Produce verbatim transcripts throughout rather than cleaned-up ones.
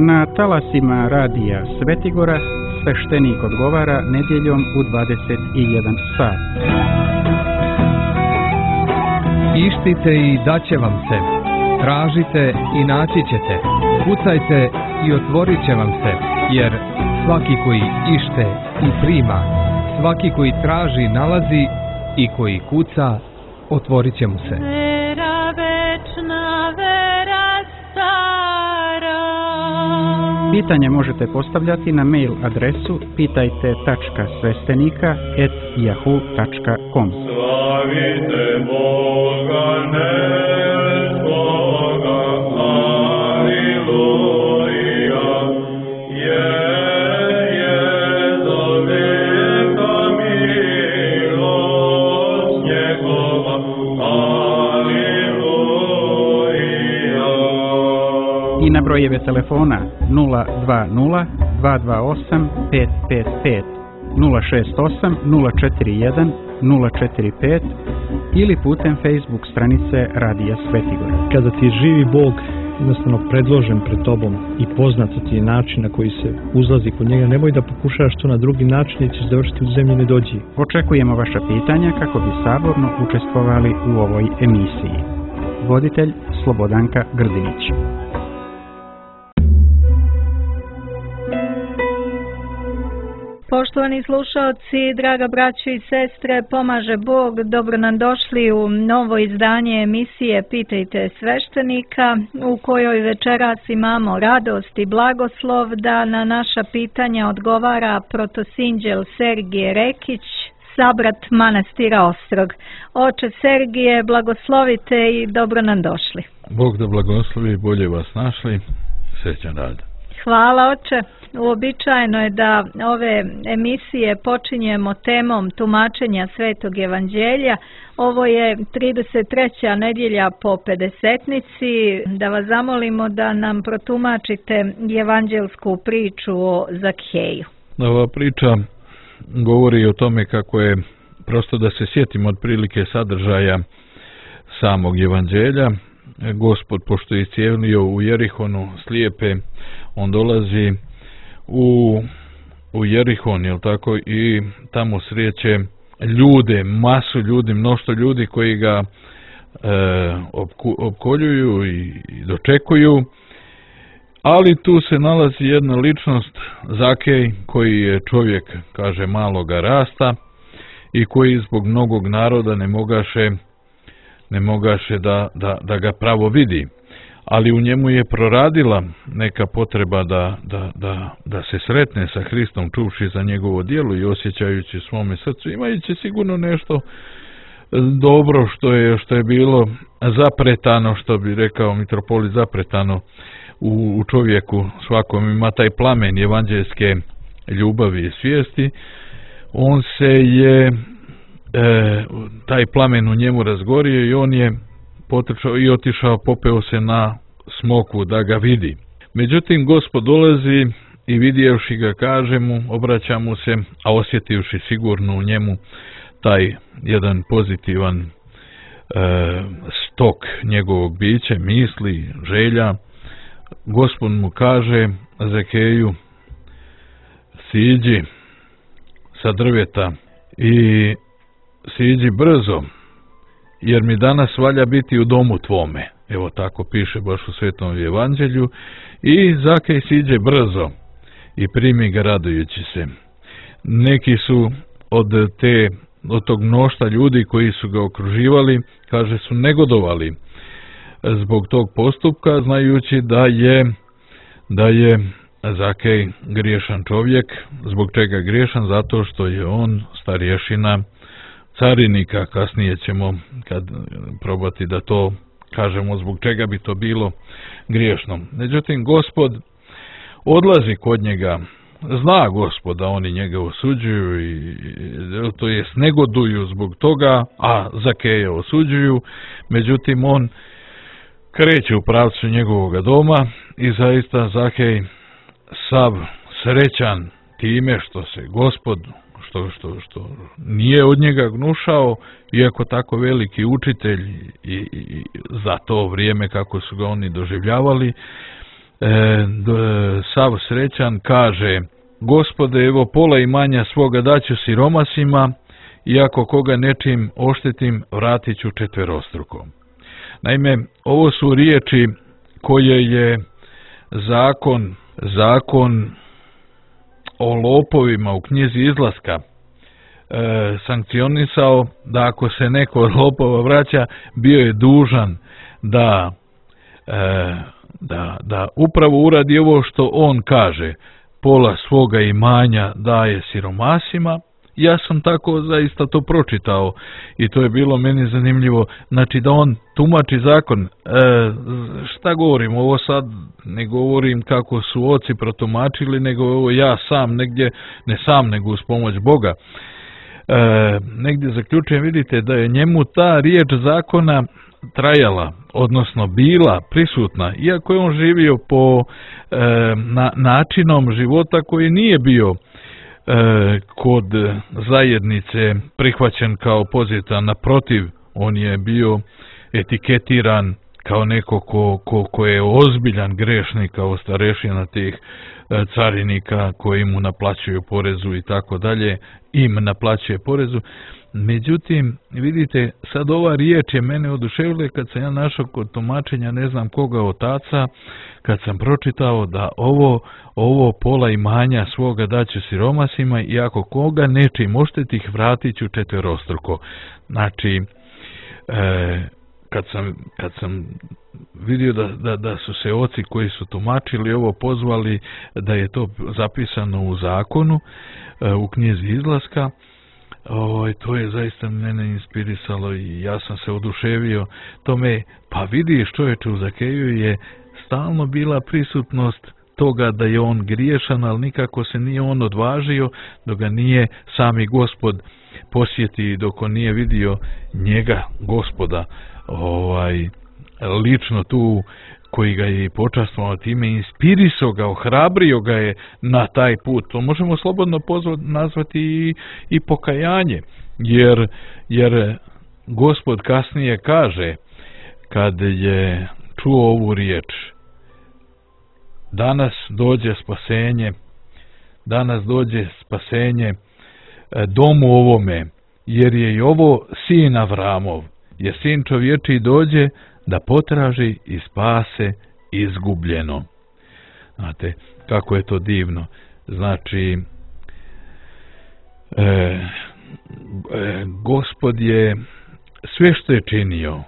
Na talasima radija Svetigora sveštenik odgovara nedjeljom u dvadeset jedan sat. Ištite i daće vam se, tražite i naći ćete, kucajte i otvorit će vam se, jer svaki koji ište i prima, svaki koji traži nalazi i koji kuca otvorit će mu se. Vera večna, vera stara. Pitanje možete postavljati na mail adresu pitajte tačka sveštenika et yahoo tačka com. Slavite Boga nebskoga, aleluja, je, je za veka milost njegova, aleluja. I na brojeve telefona nula dva nula dva dva osam pet pet pet, nula šest osam nula četiri jedan nula četiri pet ili putem Facebook stranice Radija Svetigora. Kada ti je živi Bog jednostavno predložen pred tobom i poznat ti je način na koji se uzlazi kod njega, nemoj da pokušaš to na drugi način i ćeš završiti u zemlji nedođi. Očekujemo vaša pitanja kako bi saborno učestvovali u ovoj emisiji. Voditelj Slobodanka Grdinić. Poštovani slušalci, draga braćo i sestre, pomaže Bog, dobro nam došli u novo izdanje emisije Pitajte sveštenika, u kojoj večeras imamo radost i blagoslov da na naša pitanja odgovara protosinđel Sergije Rekić, sabrat manastira Ostrog. Oče Sergije, blagoslovite i dobro nam došli. Bog da blagoslovi, bolje vas našli, srećan rad. Hvala, oče. Uobičajeno je da ove emisije počinjemo temom tumačenja Svetog evanđelja. Ovo je trideset treća nedjelja po pedesetnici. Da vas zamolimo da nam protumačite evanđelsku priču o Zakheju. Ova priča govori o tome kako je, prosto da se sjetimo otprilike sadržaja samog evanđelja. Gospod, pošto je iscijelio u Jerihonu slijepe, on dolazi u, u Jerihon, jel tako, i tamo sreće ljude, masu ljudi, mnoštvo ljudi koji ga e, opku, opkoljuju i, i dočekuju, ali tu se nalazi jedna ličnost, Zakej, koji je čovjek, kaže, maloga rasta i koji zbog mnogog naroda ne mogaše ne mogaše da, da, da ga pravo vidi, ali u njemu je proradila neka potreba da, da, da, da se sretne sa Hristom, čuvši za njegovo djelo i osjećajući u svome srcu, imajući sigurno nešto dobro što je, što je bilo zapretano, što bi rekao mitropolit, zapretano u, u čovjeku svakom, ima taj plamen evanđelske ljubavi i svijesti. On se je E, taj plamen u njemu razgorio i on je potrčao i otišao, popeo se na smokvu da ga vidi. Međutim, Gospod dolazi i vidjevši ga, kaže mu, obraća mu se, a osjetivši sigurno u njemu taj jedan pozitivan e, stok njegovog bića, misli, želja, Gospod mu kaže, Zakeju, siđi sa drveta i siđi brzo, jer mi danas valja biti u domu tvome. Evo tako piše baš u Svetom evanđelju. I Zakej siđe brzo i primi ga radujući se. Neki su od te, od tog mnoštva ljudi koji su ga okruživali, kaže, su negodovali zbog tog postupka, znajući da je da je Zakej griješan čovjek. Zbog čega griješan? Zato što je on starješina carinika. Kasnije ćemo kad probati da to kažemo zbog čega bi to bilo griješno. Međutim, Gospod odlazi kod njega, zna Gospod da oni njega osuđuju i to jest negoduju zbog toga, a Zakeja osuđuju. Međutim, on kreće u pravcu njegovog doma i zaista Zakej sav srećan time što se Gospod Što, što, što nije od njega gnušao, iako tako veliki učitelj i, i, i za to vrijeme kako su ga oni doživljavali, e, sav srećan kaže: Gospode, evo pola imanja svoga daću siromasima, i ako koga nečim oštetim, vratit ću četverostruko. Naime, ovo su riječi koje je zakon, zakon o lopovima u knjizi Izlaska e, sankcionisao, da ako se neko od lopova vraća, bio je dužan da, e, da, da upravo uradi ovo što on kaže, pola svoga imanja daje siromasima. Ja sam tako zaista to pročitao i to je bilo meni zanimljivo, znači da on tumači zakon. E, šta govorim, ovo sad ne govorim kako su oci protumačili, nego ovo ja sam negdje, ne sam nego uz pomoć Boga, e, negdje zaključujem, vidite da je njemu ta riječ zakona trajala, odnosno bila prisutna, iako je on živio po e, na, načinom života koji nije bio kod zajednice prihvaćen kao pozitivan, naprotiv, on je bio etiketiran kao neko ko, ko, ko je ozbiljan grešnik, kao starešina tih carinika koji mu naplaćuju porezu i tako dalje, im naplaćuje porezu. Međutim, vidite, sad ova riječ je mene oduševila kad sam ja našao kod tumačenja ne znam koga otaca, kad sam pročitao da ovo, ovo pola imanja svoga daću siromasima, i ako koga nečim oštetih, vratit ću četverostruko. Znači, e, kad sam, kad sam vidio da, da, da su se oci koji su tumačili ovo pozvali da je to zapisano u zakonu, e, u knjizi Izlaska, O, to je zaista mene inspirisalo i ja sam se oduševio tome. Pa vidiš, čovječe, u Zakeju je stalno bila prisutnost toga da je on griješan, ali nikako se nije on odvažio dok ga nije sami Gospod posjeti, dok on nije vidio njega, Gospoda, ovaj, lično tu, koji ga je počastvovao time, inspirisao ga, ohrabrio ga je na taj put. To možemo slobodno pozvat, nazvati i, i pokajanje, jer, jer Gospod kasnije kaže, kad je čuo ovu riječ: danas dođe spasenje, danas dođe spasenje domu ovome, jer je i ovo sin Avramov, jer sin čovječiji dođe da potraži i spase izgubljeno. Znate, kako je to divno. Znači, e, e, Gospod je sve što je činio,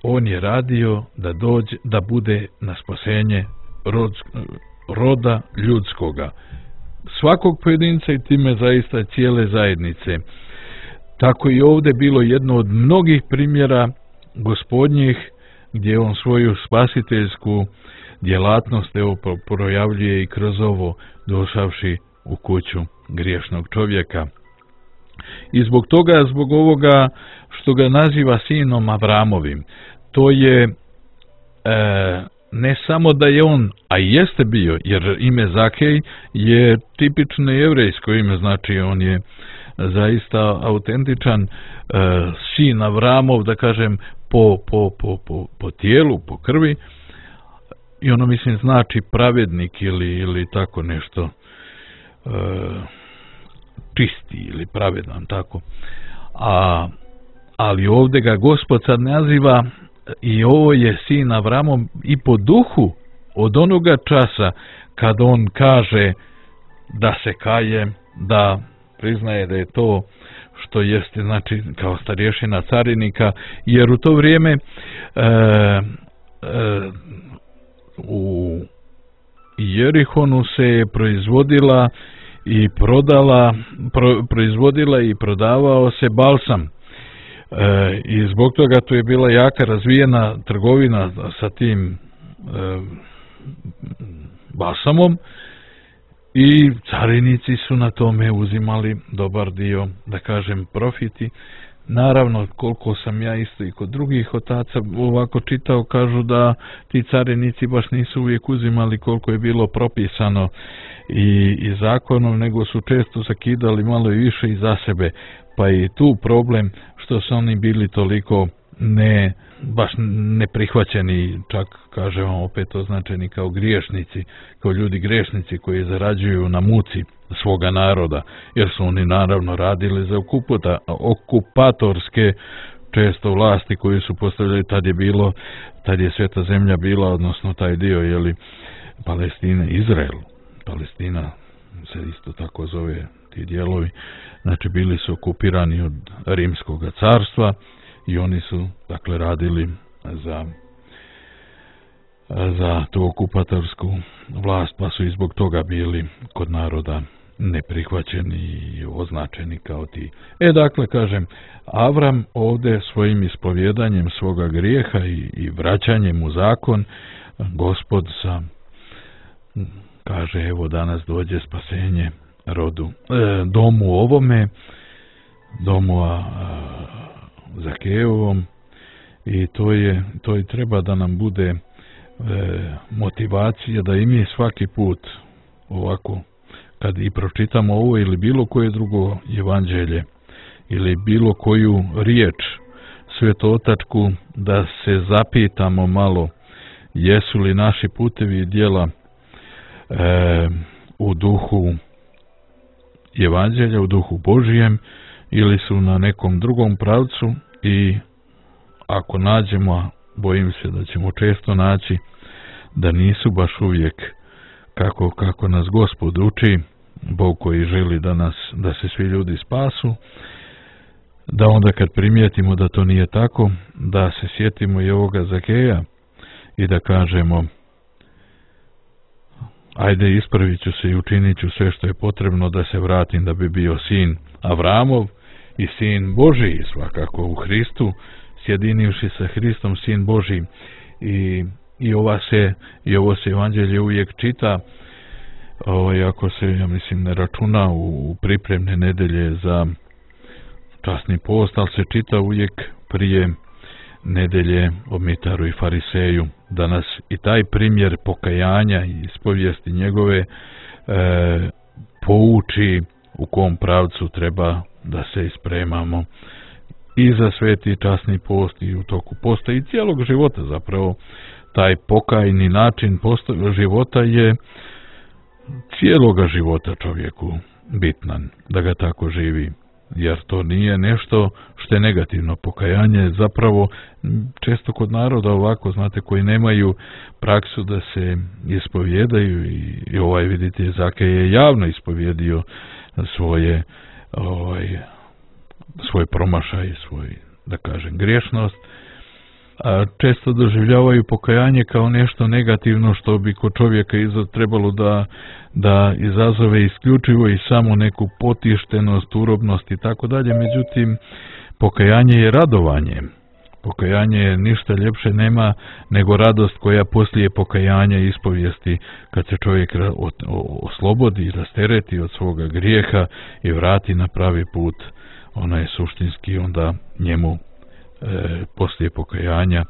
on je radio da dođe, da bude na spasenje rod, roda ljudskoga. Svakog pojedinca i time zaista cijele zajednice. Tako i ovdje bilo jedno od mnogih primjera Gospodnjih, gdje on svoju spasiteljsku djelatnost evo projavljuje i kroz ovo, došavši u kuću griješnog čovjeka. I zbog toga, zbog ovoga što ga naziva sinom Avramovim, to je e, ne samo da je on, a jeste bio, jer ime Zakej je tipično jevrejsko ime, znači on je zaista autentičan e, sin Avramov, da kažem, po, po, po, po, po tijelu, po krvi, i ono mislim znači pravednik ili, ili tako nešto, e, čisti ili pravedan, tako. A, ali ovdje ga Gospod sad naziva, i ovo je sin Avramov i po duhu, od onoga časa kad on kaže da se kaje, da priznaje da je to što jeste, znači kao starješina carinika, jer u to vrijeme e, e, u Jerihonu se proizvodila i prodala, pro, proizvodila i prodavao se balsam. E, I zbog toga tu je bila jaka razvijena trgovina sa tim e, balsamom, i carinici su na tome uzimali dobar dio, da kažem, profiti. Naravno, koliko sam ja isto i kod drugih otaca ovako čitao, kažu da ti carinici baš nisu uvijek uzimali koliko je bilo propisano i, i zakonom, nego su često zakidali malo i više i za sebe. Pa i tu problem što su oni bili toliko ne baš neprihvaćeni, čak kažemo opet označeni kao griješnici, kao ljudi griješnici koji zarađuju na muci svoga naroda, jer su oni naravno radili za okuputa, okupatorske često vlasti koji su postavljali. Tad je bilo, tad je sveta zemlja bila, odnosno taj dio, jeli, Palestina, Izrael, Palestina se isto tako zove ti dijelovi, znači bili su okupirani od Rimskog carstva i oni su dakle radili za za tu okupatorsku vlast, pa su i zbog toga bili kod naroda neprihvaćeni i označeni kao ti. E dakle, kažem, Avram ovdje svojim ispovjedanjem svoga grijeha i, i vraćanjem u zakon, Gospod sa kaže, evo danas dođe spasenje rodu, e, domu ovome, domu a, a, Zakejevom, i to je, to i treba da nam bude e, motivacija da i mi svaki put ovako, kad i pročitamo ovo ili bilo koje drugo evanđelje ili bilo koju riječ svetotačku, da se zapitamo malo jesu li naši putevi i djela e, u duhu evanđelja, u duhu Božijem, ili su na nekom drugom pravcu, i ako nađemo, bojim se da ćemo često naći da nisu baš uvijek kako, kako nas Gospod uči, Bog koji želi da nas, da se svi ljudi spasu, da onda kad primijetimo da to nije tako, da se sjetimo i ovoga Zakeja i da kažemo, ajde, ispravit ću se i učinit ću sve što je potrebno da se vratim, da bi bio sin Avramov i sin Božiji, svakako u Hristu, sjedinivši sa Hristom, sin Božiji. I, i, ova se, i ovo se evanđelje uvijek čita, ovaj, ako se, ja mislim, ne računa u, u pripremne nedelje za časni post, ali se čita uvijek prije nedelje o Mitaru i Fariseju, da nas i taj primjer pokajanja i ispovijesti njegove e, pouči u kom pravcu treba da se ispremamo i za sveti časni post i u toku posta i cijelog života. Zapravo taj pokajni način posta, života je cijeloga života čovjeku bitnan, da ga tako živi, jer to nije nešto što je negativno. Pokajanje je zapravo često kod naroda ovako, znate, koji nemaju praksu da se ispovjedaju, i, i ovaj, vidite, Zakej je javno ispovjedio svoje ovaj, svoj promašaj, svoj, da kažem, griješnost, a često doživljavaju pokajanje kao nešto negativno što bi kod čovjeka iza trebalo da, da izazove isključivo i samo neku potištenost, urobnost i tako dalje. Međutim, pokajanje je radovanje. Pokajanje je ništa ljepše nema nego radost koja poslije pokajanja i ispovijesti, kad se čovjek oslobodi, rastereti od svoga grijeha i vrati na pravi put, ona je suštinski onda njemu E, poslije pokajanja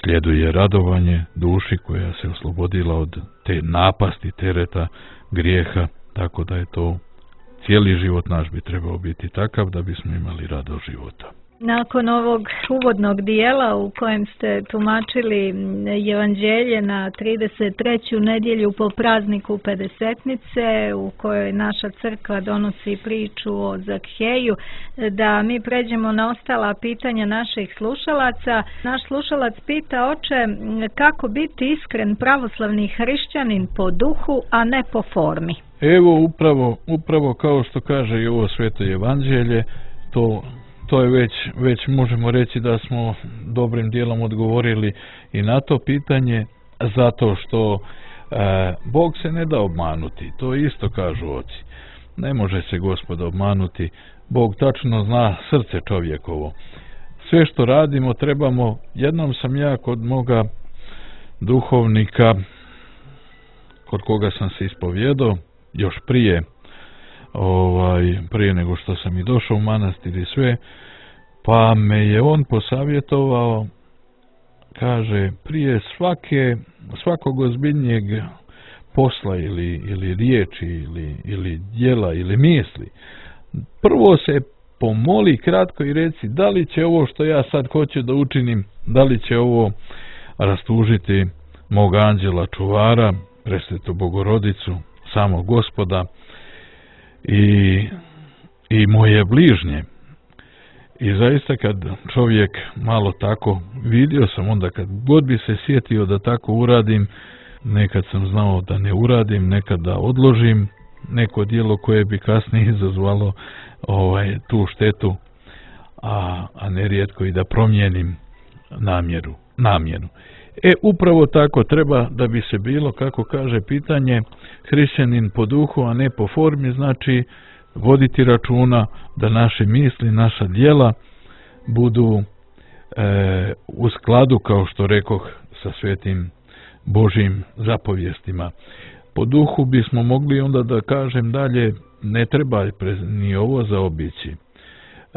slijeduje radovanje duši koja se oslobodila od te napasti, tereta, grijeha, tako da je to cijeli život naš bi trebao biti takav da bismo imali radost života. Nakon ovog uvodnog dijela u kojem ste tumačili evanđelje na trideset treću nedjelju po prazniku Pedesetnice, u kojoj naša crkva donosi priču o Zakheju, da mi pređemo na ostala pitanja naših slušalaca. Naš slušalac pita, oče, kako biti iskren pravoslavni hrišćanin po duhu, a ne po formi? Evo, upravo, upravo kao što kaže i ovo sveto evanđelje, to To je već, već možemo reći da smo dobrim dijelom odgovorili i na to pitanje, zato što e, Bog se ne da obmanuti. To isto kažu oci. Ne može se Gospod obmanuti. Bog tačno zna srce čovjekovo. Sve što radimo trebamo, jednom sam ja kod moga duhovnika, kod koga sam se ispovjedao, još prije ovaj, prije nego što sam i došao u manastir i sve, pa me je on posavjetovao, kaže, prije svake, svakog ozbiljnijeg posla ili, ili riječi ili, ili djela ili misli, prvo se pomoli kratko i reci da li će ovo što ja sad hoću da učinim, da li će ovo rastužiti mog anđela čuvara, presvetu Bogorodicu, samog Gospoda i, i moje bližnje. I zaista kad čovjek malo tako, vidio sam onda kad god bi se sjetio da tako uradim, nekad sam znao da ne uradim, nekad da odložim neko djelo koje bi kasnije izazvalo ovaj, tu štetu, a, a nerijetko i da promijenim namjeru, namjeru. E, upravo tako treba da bi se bilo, kako kaže pitanje, hrišćanin po duhu, a ne po formi, znači voditi računa da naše misli, naša djela budu e, u skladu, kao što rekoh, sa svetim Božjim zapovjestima. Po duhu bismo mogli onda da kažem dalje, ne treba ni ovo zaobići.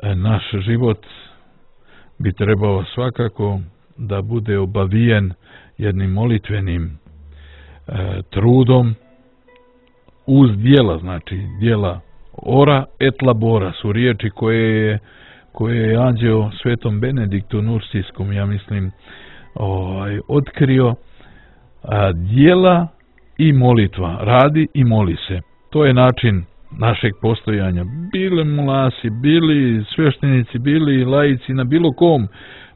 E, naš život bi trebao svakako da bude obavijen jednim molitvenim e, trudom uz djela, znači djela ora et labora su riječi koje je, koje je anđeo svetom Benediktu Nursijskom, ja mislim, ovaj, otkrio. A, djela i molitva, radi i moli se. To je način našeg postojanja. Bili mulasi, bili sveštenici, bili laici, na bilo kom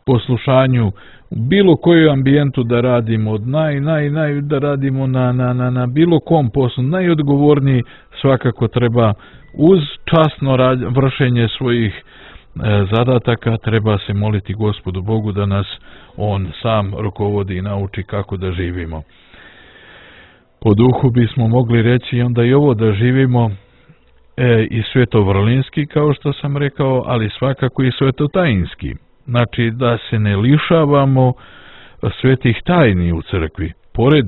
poslušanju, u bilo koju ambijentu da radimo, od naj, naj, naj, da radimo na, na, na, na bilo kom poslu, najodgovorniji svakako treba uz časno rad, vršenje svojih e, zadataka, treba se moliti Gospodu Bogu da nas On sam rukovodi i nauči kako da živimo. Po duhu bismo mogli reći onda i ovo da živimo e, i svetovrlinski, kao što sam rekao, ali svakako i svetotajinski. Znači da se ne lišavamo svetih tajni u crkvi, pored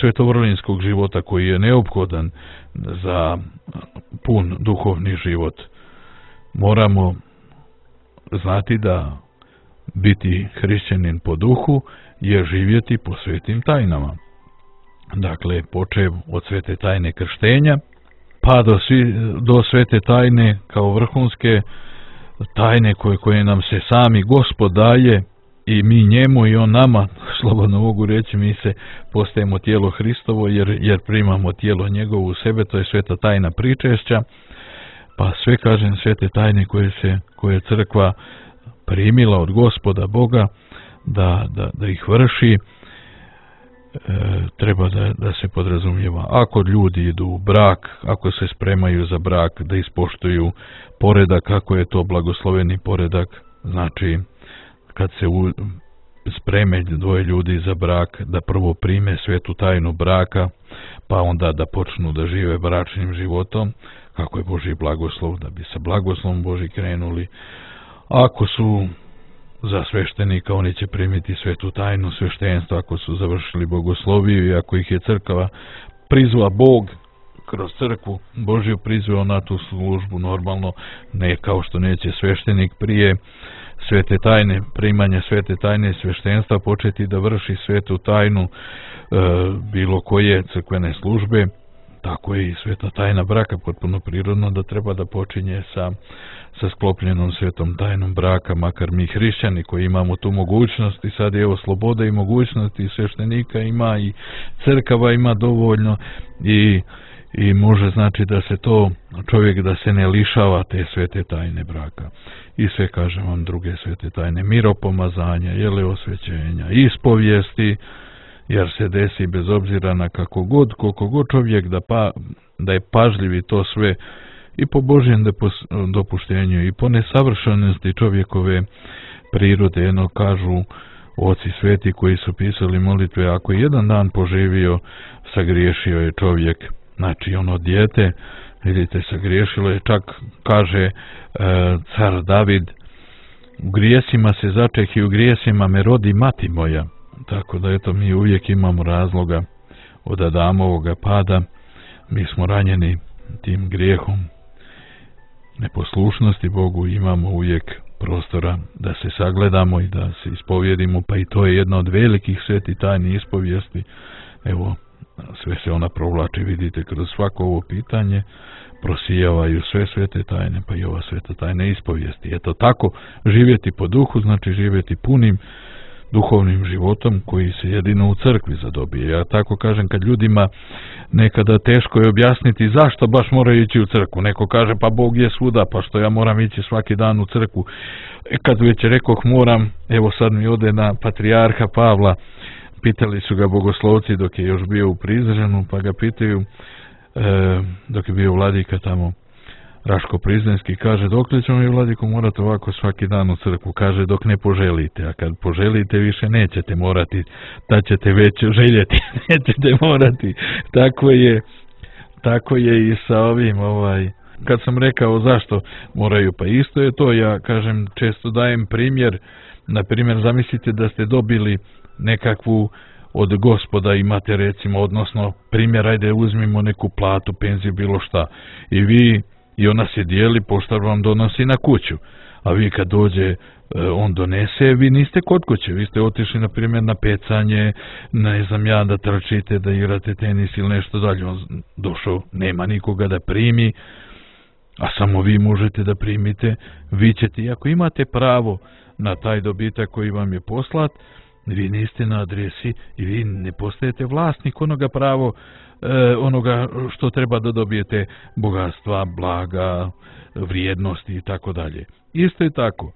svetovrlinskog života koji je neophodan za pun duhovni život. Moramo znati da biti hrišćanin po duhu je živjeti po svetim tajnama. Dakle, počev od svete tajne krštenja, pa do, svi, do svete tajne kao vrhunske tajne koje, koje nam se sami Gospod daje i mi njemu i on nama, slobodno mogu reći, mi se postajemo tijelo Hristovo jer, jer primamo tijelo njegovo u sebe, to je sveta tajna pričešća, pa sve, kažem, svete tajne koje se, koje je crkva primila od Gospoda Boga da, da, da ih vrši, e, treba da, da se podrazumijeva. Ako ljudi idu u brak, ako se spremaju za brak, da ispoštuju poredak, kako je to blagosloveni poredak, znači kad se u, spreme dvoje ljudi za brak, da prvo prime svetu tajnu braka, pa onda da počnu da žive bračnim životom, kako je Božji blagoslov, da bi sa blagoslovom Božji krenuli. Ako su za sveštenika, oni će primiti svetu tajnu sveštenstva ako su završili bogosloviju i ako ih je crkva prizva Bog kroz crkvu Božju prizvao na tu službu, normalno ne kao što neće sveštenik prije svete tajne, primanja svete tajne sveštenstva početi da vrši svetu tajnu e, bilo koje crkvene službe, tako je i sveta tajna braka, potpuno prirodno da treba da počinje sa, sa sklopljenom svetom tajnom braka, makar mi hrišćani koji imamo tu mogućnost i sad je evo sloboda i mogućnost i sveštenika ima i crkava ima dovoljno i, i može znači da se to čovjek da se ne lišava te svete tajne braka i sve, kažem vam, druge svete tajne miropomazanja, jele osvećenja, ispovijesti, jer se desi bez obzira na kako god, koliko god čovjek da, pa, da je pažljivi to sve i po Božjem dopuštenju i po nesavršenosti čovjekove prirode, jedno kažu oci sveti koji su pisali molitve, ako je jedan dan poživio, sagriješio je čovjek, znači ono dijete, vidite, sagriješilo je, čak kaže e, car David, u grijesima se začeh i u grijesima me rodi mati moja. Tako da eto, mi uvijek imamo razloga od Adamovoga pada, mi smo ranjeni tim grijehom neposlušnosti Bogu, imamo uvijek prostora da se sagledamo i da se ispovjedimo, pa i to je jedna od velikih sveti tajni ispovijesti. Evo, sve se ona provlači, vidite, kroz svako ovo pitanje prosijavaju sve svete tajne, pa i ova sveta tajna ispovijesti. Eto tako, živjeti po duhu znači živjeti punim duhovnim životom koji se jedino u crkvi zadobije. Ja tako kažem, kad ljudima nekada teško je objasniti zašto baš moraju ići u crkvu. Neko kaže pa Bog je svuda, pa što ja moram ići svaki dan u crkvu. E, kad već rekoh moram, evo sad mi ode na patrijarha Pavla, pitali su ga bogoslovci dok je još bio u Prizrenu, pa ga pitaju e, dok je bio vladika tamo Raško Prizrenski, kaže dokle ćemo mi vladiko morati ovako svaki dan u crkvu, kaže dok ne poželite, a kad poželite više nećete morati, da ćete već željeti, nećete morati. Tako je, tako je i sa ovim, ovaj, kad sam rekao zašto moraju, pa isto je to, ja kažem, često dajem primjer, na primjer zamislite da ste dobili nekakvu od Gospoda, imate recimo, odnosno primjer, ajde uzmimo neku platu, penziju, bilo šta, i vi i ona se dijeli, poštar vam donosi na kuću, a vi kad dođe on donese, vi niste kod kuće, vi ste otišli na primjer na pecanje, ne znam ja, da trčite, da igrate tenis ili nešto dalje, on došao, nema nikoga da primi, a samo vi možete da primite, vi ćete, i ako imate pravo na taj dobitak koji vam je poslat, vi niste na adresi i vi ne postajete vlasnik onoga pravo, e, onoga što treba da dobijete, bogatstva, blaga, vrijednosti i tako dalje. Isto je tako.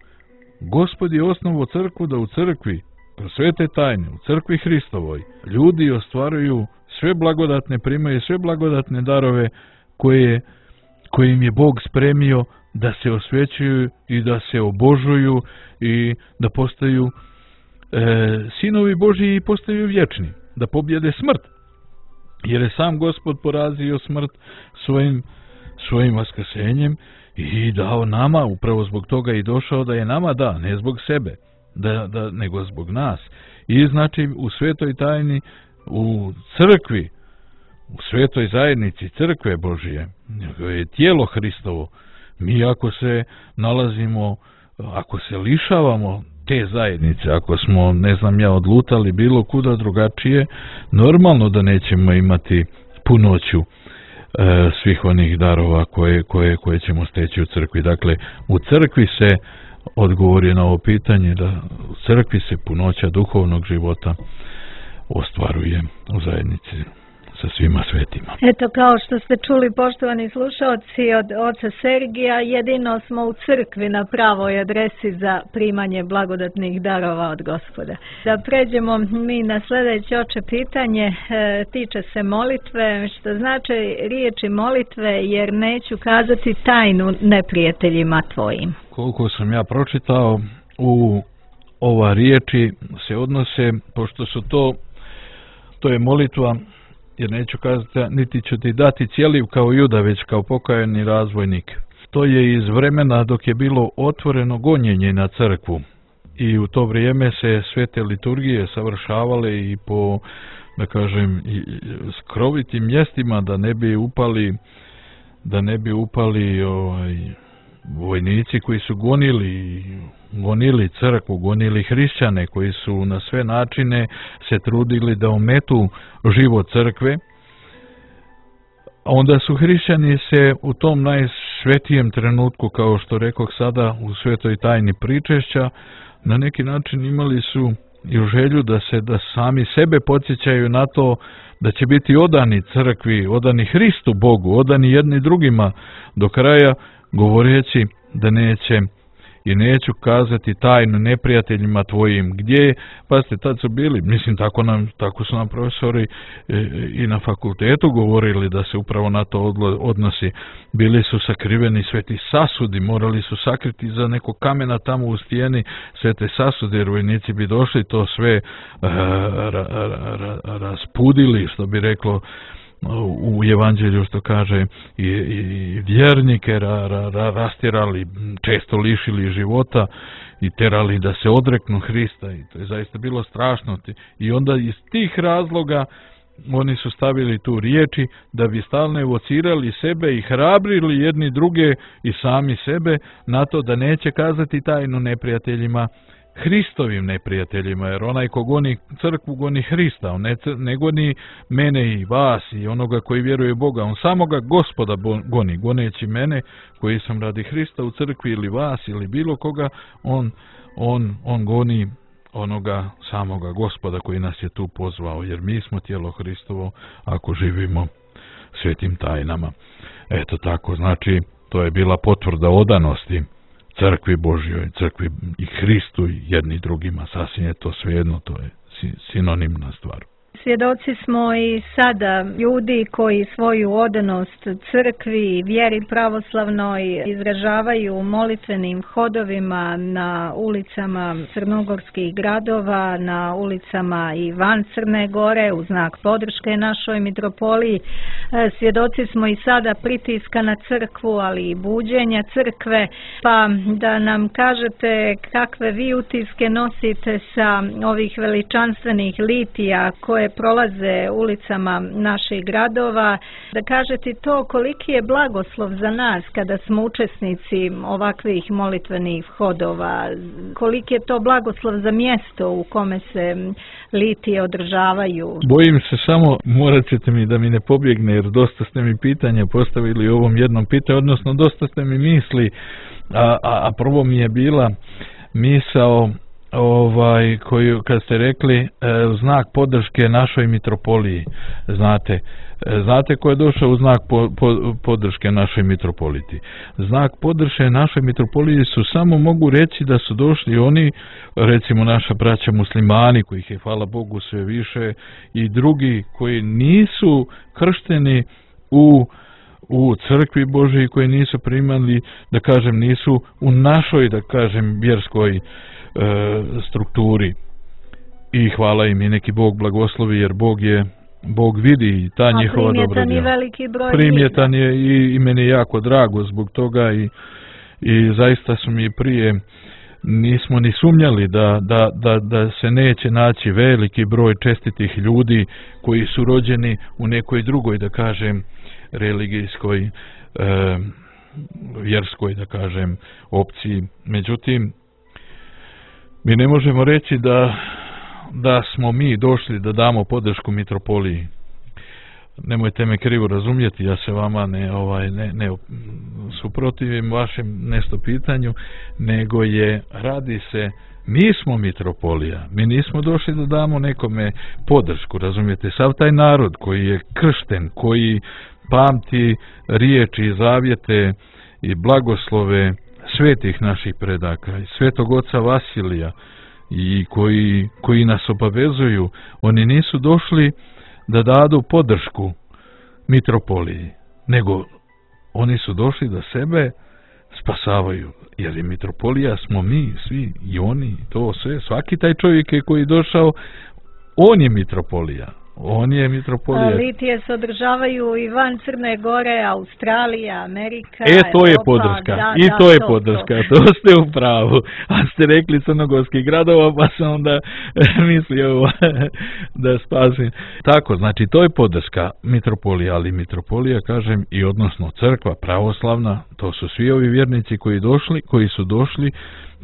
Gospod je osnovo crkvu da u crkvi, kroz svete tajne, u crkvi Hristovoj, ljudi ostvaruju sve blagodatne, primaju sve blagodatne darove koje, koje im je Bog spremio da se osvećuju i da se obožuju i da postaju e, sinovi Božji i postaju vječni, da pobjede smrt. Jer je sam Gospod porazio smrt svojim, svojim vaskrsenjem i dao nama, upravo zbog toga i došao da je nama da, ne zbog sebe, da, da, nego zbog nas. I znači u svetoj tajni, u crkvi, u svetoj zajednici crkve Božije, je tijelo Hristovo, mi ako se nalazimo, ako se lišavamo te zajednice, ako smo, ne znam ja, odlutali bilo kuda drugačije, normalno da nećemo imati punoću e, svih onih darova koje, koje, koje ćemo steći u crkvi. Dakle, u crkvi se odgovori na ovo pitanje, da u crkvi se punoća duhovnog života ostvaruje u zajednici sa svima svetima. Eto, kao što ste čuli, poštovani slušalci, od oca Sergija, jedino smo u crkvi na pravoj adresi za primanje blagodatnih darova od Gospoda. Da pređemo mi na sljedeće, oče, pitanje, e, tiče se molitve, što znači riječi molitve, jer neću kazati tajnu neprijateljima tvojim. Koliko sam ja pročitao, u ova riječi se odnose, pošto su to, to je molitva, jer neću kazati, niti ću ti dati cijeliv kao Juda, već kao pokajani razvojnik. To je iz vremena dok je bilo otvoreno gonjenje na crkvu i u to vrijeme se sve te liturgije savršavale i po, da kažem, skrovitim mjestima, da ne bi upali, da ne bi upali ovaj, vojnici koji su gonili gonili crkvu, gonili hrišćane, koji su na sve načine se trudili da ometu život crkve. Onda su hrišćani se u tom najsvetijem trenutku, kao što rekoh sada, u svetoj tajni pričešća, na neki način imali su i želju da se da sami sebe podsjećaju na to da će biti odani crkvi, odani Hristu Bogu, odani jedni drugima do kraja, govoreći da neće i neću kazati tajnu neprijateljima tvojim. Gdje? Pa ste tad su bili, mislim tako, nam, tako su nam profesori e, i na fakultetu govorili da se upravo na to odlo, odnosi. Bili su sakriveni sveti sasudi, morali su sakriti za neko kamena tamo u stijeni svete sasude, jer vojnici bi došli to sve a, ra, ra, ra, raspudili, što bi reklo u evanđelju, što kaže, i, i vjernike ra, ra, ra, rastirali, često lišili života i terali da se odreknu Hrista, i to je zaista bilo strašno. I onda iz tih razloga oni su stavili tu riječi da bi stalno evocirali sebe i hrabrili jedni druge i sami sebe na to da neće kazati tajnu neprijateljima Hristovim neprijateljima, jer onaj ko goni crkvu goni Hrista, on ne, ne goni mene i vas i onoga koji vjeruje u Boga, on samoga Gospoda goni, goneći mene koji sam radi Hrista u crkvi ili vas ili bilo koga, on, on, on goni onoga samoga Gospoda koji nas je tu pozvao, jer mi smo tijelo Hristovo ako živimo svetim tajnama. Eto tako, znači to je bila potvrda odanosti crkvi Božjoj, crkvi i Hristu i jedni drugima, sasvim je to svejedno, to je sinonimna stvar. Svjedoci smo i sada ljudi koji svoju odanost crkvi i vjeri pravoslavnoj izražavaju molitvenim hodovima na ulicama crnogorskih gradova, na ulicama i van Crne Gore u znak podrške našoj mitropoliji. Svjedoci smo i sada pritiska na crkvu, ali i buđenja crkve, pa da nam kažete kakve vi utiske nosite sa ovih veličanstvenih litija koje prolaze ulicama naših gradova, da kažete to koliki je blagoslov za nas kada smo učesnici ovakvih molitvenih hodova, koliki je to blagoslov za mjesto u kome se litije održavaju. Bojim se samo, morat ćete mi da mi ne pobjegne, jer dosta ste mi pitanja postavili u ovom jednom pitanju, odnosno dosta ste mi misli, a, a, a prvo mi je bila misao ovaj koju kad ste rekli e, znak podrške našoj mitropoliji, znate e, znate ko je došao u znak po, po, podrške našoj mitropoliti. Znak podrške našoj mitropoliji su samo, mogu reći da su došli oni, recimo naša braća muslimani kojih je hvala Bogu sve više i drugi koji nisu kršteni u u crkvi Božji, koji nisu primali, da kažem, nisu u našoj, da kažem, vjerskoj strukturi, i hvala im i neki Bog blagoslovi, jer Bog je Bog vidi i ta A njihova dobra djela. Veliki broj primjetan je i, i meni je jako drago zbog toga i, i zaista su mi prije nismo ni sumnjali da, da, da, da se neće naći veliki broj čestitih ljudi koji su rođeni u nekoj drugoj, da kažem, religijskoj e, vjerskoj, da kažem, opciji. Međutim, mi ne možemo reći da, da smo mi došli da damo podršku mitropoliji. Nemojte me krivo razumjeti, ja se vama ne, ovaj, ne, ne suprotivim vašem nešto pitanju, nego je, radi se, mi smo mitropolija, mi nismo došli da damo nekome podršku, razumijete, sav taj narod koji je kršten, koji pamti riječi i zavjete i blagoslove svetih naših predaka i svetog oca Vasilija i koji, koji nas obavezuju, oni nisu došli da dadu podršku mitropoliji, nego oni su došli da sebe spasavaju, jer je mitropolija smo mi svi i oni, to sve, svaki taj čovjek je koji je došao, on je mitropolija. On je mitropolija. Litije se održavaju i van Crne Gore, Australija, Amerika, E, to je Europa, podrška. da, I da, to je to, podrška. To. To ste u pravu. A ste rekli crnogorskih gradova, pa sam onda mislio da spasim. Tako, znači, to je podrška mitropolija, ali mitropolija, kažem, i odnosno crkva pravoslavna, to su svi ovi vjernici koji došli, koji su došli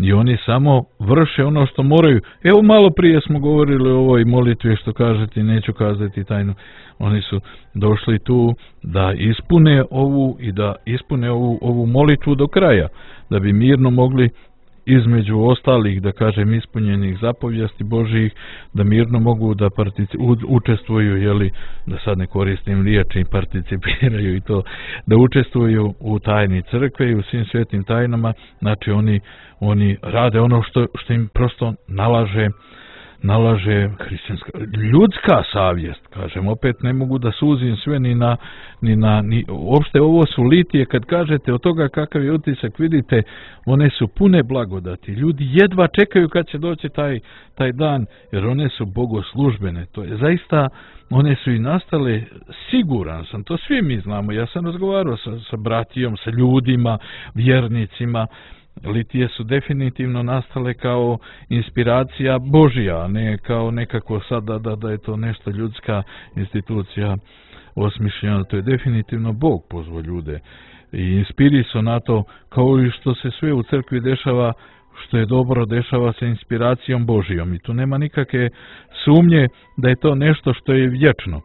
i oni samo vrše ono što moraju. Evo, malo prije smo govorili o ovoj molitvi, što kažete, neću kazati tajnu. Oni su došli tu da ispune ovu i da ispune ovu, ovu molitvu do kraja, da bi mirno mogli između ostalih, da kažem, ispunjenih zapovijesti Božjih, da mirno mogu da partici, u, učestvuju, jeli, da sad ne koristim riječi, participiraju i to, da učestvuju u tajni crkve i u svim svetim tajnama. Znači oni, oni rade ono što, što im prosto nalaže nalaže hrišćanska, ljudska savjest, kažem, opet ne mogu da suzim sve ni na, ni na, ni, uopšte ovo su litije, kad kažete od toga kakav je utisak, vidite, one su pune blagodati, ljudi jedva čekaju kad će doći taj, taj dan, jer one su bogoslužbene, to je zaista, one su i nastale, siguran sam, to svi mi znamo, ja sam razgovarao sa, sa bratijom, sa ljudima, vjernicima. Litije su definitivno nastale kao inspiracija Božja, a ne kao nekako sada da, da je to nešto ljudska institucija osmišljena. To je definitivno Bog pozvao ljude i inspiri su na to, kao i što se sve u crkvi dešava, što je dobro, dešava se inspiracijom Božijom i tu nema nikakve sumnje da je to nešto što je vječno.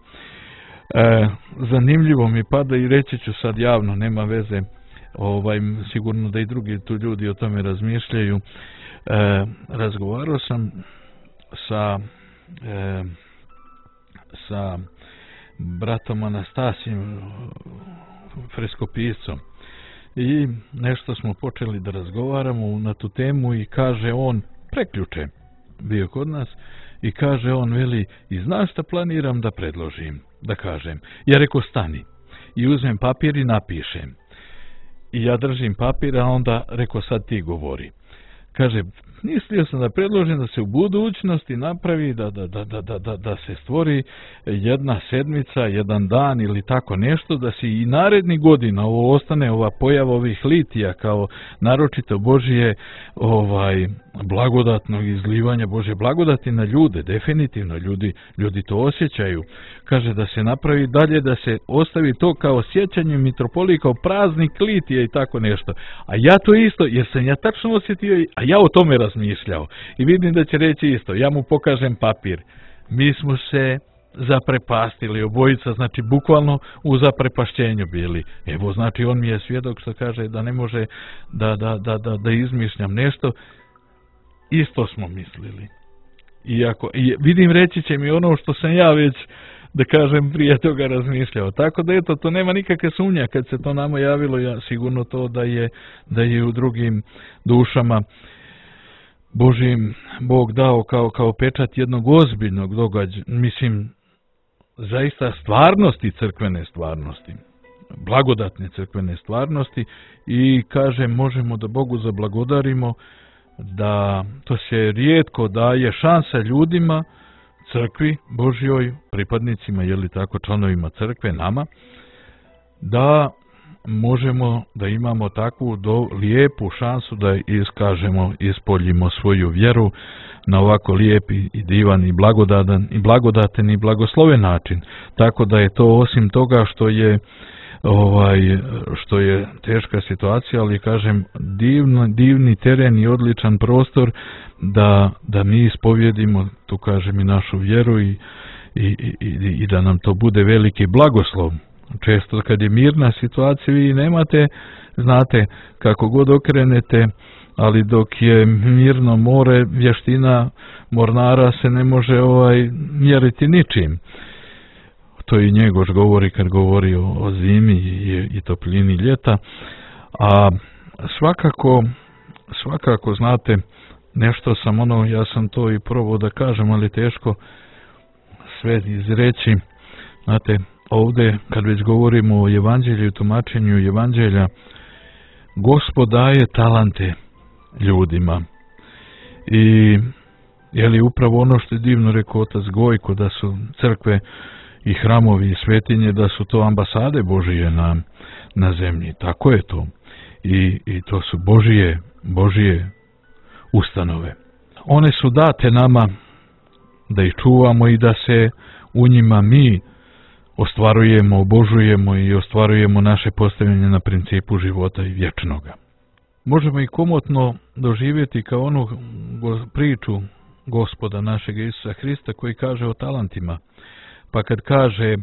E, zanimljivo mi pada i reći ću sad javno, nema veze, ovaj, sigurno da i drugi tu ljudi o tome razmišljaju. E, razgovarao sam sa e, sa bratom Anastasijem, freskopiscom, i nešto smo počeli da razgovaramo na tu temu i kaže on, preključe bio kod nas, i kaže on, veli, i znaš šta planiram da predložim, da kažem. Ja reko, stani, i uzmem papir i napišem. I ja držim papir, a onda reko, sad ti govori. Kaže, mislio sam da predložim da se u budućnosti napravi, da, da, da, da, da, da se stvori jedna sedmica, jedan dan ili tako nešto, da se i naredni godina ovo ostane, ova pojava ovih litija kao naročito Božije ovaj, blagodatnog izlivanja Božje blagodati na ljude, definitivno ljudi, ljudi to osjećaju. Kaže da se napravi dalje, da se ostavi to kao sjećanje mitropolije, kao praznik litija i tako nešto. A ja to isto, jer sam ja tačno osjetio, a ja o tome razmišljao. I vidim da će reći isto, ja mu pokažem papir. Mi smo se zaprepastili obojica, znači bukvalno u zaprepašćenju bili. Evo, znači on mi je svjedok što kaže da ne može da, da, da, da, da izmišljam nešto. Isto smo mislili. Iako, i vidim, reći će mi ono što sam ja već, da kažem, prije toga razmišljao. Tako da eto, to nema nikakve sumnja kad se to nama javilo, ja sigurno to da je, da je u drugim dušama Božim Bog dao kao, kao pečat jednog ozbiljnog događaja, mislim, zaista stvarnosti, crkvene stvarnosti, blagodatne crkvene stvarnosti, i kažem, možemo da Bogu zablagodarimo da to se rijetko daje šansa ljudima, crkvi Božjoj, pripadnicima, je li tako, članovima crkve, nama, da možemo da imamo takvu do, lijepu šansu da iskažemo, ispoljimo svoju vjeru na ovako lijep i divan i blagodadan i blagodaten i blagosloven način. Tako da je to, osim toga što je ovaj što je teška situacija, ali kažem, divno, divni teren i odličan prostor da, da mi ispovjedimo, tu kažem, i našu vjeru i, i, i, i da nam to bude veliki blagoslov. Često kad je mirna situacija vi nemate, znate, kako god okrenete, ali dok je mirno more, vještina mornara se ne može ovaj mjeriti ničim. To i Njegoš govori kad govori o, o zimi i, i toplini ljeta. A svakako, svakako, znate, nešto sam ono, ja sam to i probao da kažem, ali teško sve izreći. Znate, ovdje kad već govorimo o evanđelju i tumačenju evanđelja, Gospod daje talante ljudima. I je li upravo ono što je divno rekao otac Gojko, da su crkve i hramovi i svetinje, da su to ambasade Božije na, na zemlji. Tako je to. I, i to su Božije, Božije ustanove. One su date nama da ih čuvamo i da se u njima mi ostvarujemo, obožujemo i ostvarujemo naše postavljanje na principu života i vječnoga. Možemo i komotno doživjeti kao onu priču Gospoda našeg Isusa Hrista koji kaže o talentima. Pa kad kaže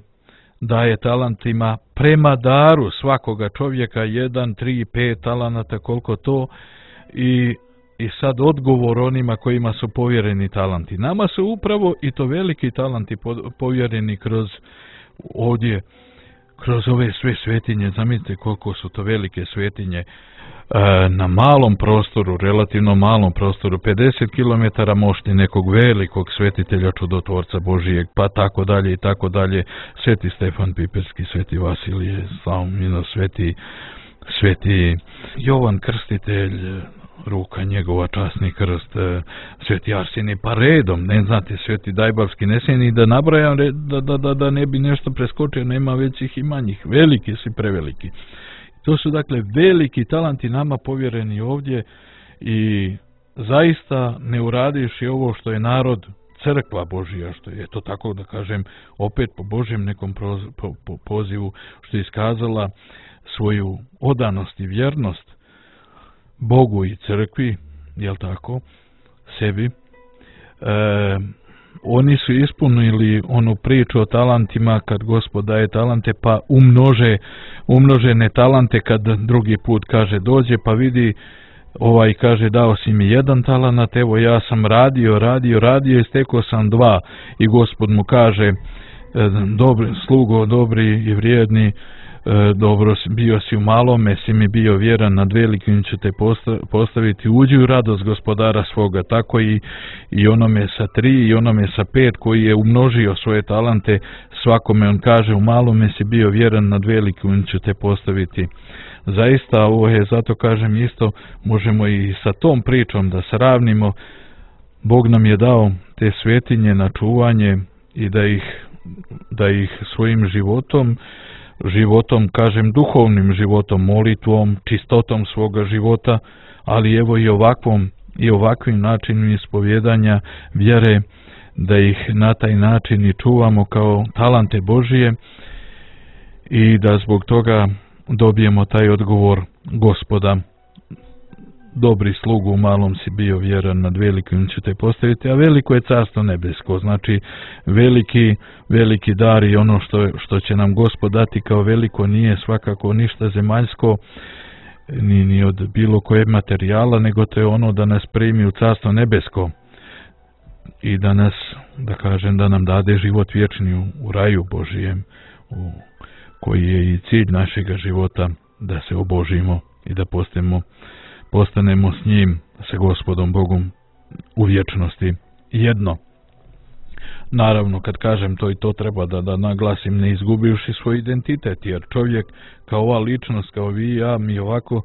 da je talentima prema daru svakoga čovjeka jedan, tri, pet talenata, koliko to, i, i sad odgovor onima kojima su povjereni talenti. Nama su upravo i to veliki talenti povjereni kroz ovdje, kroz ove sve svetinje. Zamislite koliko su to velike svetinje na malom prostoru, relativno malom prostoru, pedeset kilometara mošti nekog velikog svetitelja čudotvorca Božijeg, pa tako dalje i tako dalje, sveti Stefan Piperski, sveti Vasilije Slavomino, sveti, sveti Jovan Krstitelj, ruka njegova, časni krst, sveti Arsenij, pa redom, ne znate, sveti Dajbavski, ne se ni da nabrajam, da, da, da, da ne bi nešto preskočio, nema većih i manjih, veliki su i preveliki. To su dakle veliki talanti nama povjereni ovdje i zaista ne uradiš i ovo što je narod, crkva Božija, što je to tako da kažem, opet po Božjem nekom proz, po, po pozivu, što je iskazala svoju odanost i vjernost Bogu i crkvi, jel tako, sebi. E, oni su ispunili onu priču o talentima, kad Gospod daje talente pa umnože umnožene talente, kad drugi put kaže dođe pa vidi, ovaj kaže dao si mi jedan talant, evo ja sam radio, radio, radio i stekao sam dva, i Gospod mu kaže dobri, slugo, dobri i vrijedni, dobro bio si u malome, si mi bio vjeran, nad velikim ću te postaviti, uđi u radost gospodara svoga. Tako i, i onome sa tri i onome sa pet koji je umnožio svoje talente, svakome on kaže u malome si bio vjeran, nad velikim ću te postaviti. Zaista ovo je, zato kažem isto, možemo i sa tom pričom da sravnimo. Bog nam je dao te svetinje na čuvanje i da ih, da ih svojim životom, životom, kažem duhovnim životom, molitvom, čistotom svoga života, ali evo i ovakvom i ovakvim načinom ispovjedanja vjere, da ih na taj način i čuvamo kao talante Božije i da zbog toga dobijemo taj odgovor Gospoda. Dobri slugu, u malom si bio vjeran, nad velikim ću te postaviti, a veliko je carstvo nebesko. Znači veliki, veliki dar i ono što, što će nam Gospod dati kao veliko nije svakako ništa zemaljsko, ni, ni od bilo kojeg materijala, nego to je ono da nas primi u carstvo nebesko i da nas, da kažem, da nam dade život vječni u, u raju Božijem, u, koji je i cilj našega života, da se obožimo i da postanemo postanemo s njim, sa Gospodom Bogom u vječnosti jedno. Naravno, kad kažem to i to treba da, da naglasim, ne izgubivši svoj identitet, jer čovjek kao ova ličnost, kao vi i ja, mi ovako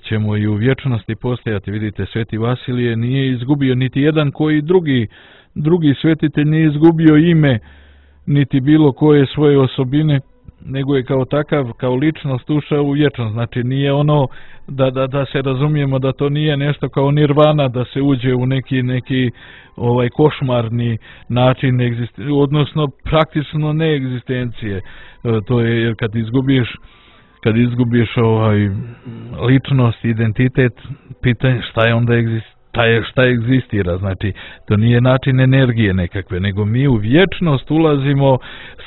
ćemo i u vječnosti postojati. Vidite, Sveti Vasilije nije izgubio niti jedan koji drugi, drugi svetitelj nije izgubio ime, niti bilo koje svoje osobine, nego je kao takav, kao ličnost ušao u vječnost. Znači nije ono da, da, da se razumijemo da to nije nešto kao nirvana, da se uđe u neki, neki ovaj košmarni način egzistencije, odnosno praktično neegzistencije. To je jer kad izgubiš kad izgubiš ovaj ličnost, identitet, pitanje šta je onda egzistencija. Šta, je, šta egzistira, znači to nije način energije nekakve, nego mi u vječnost ulazimo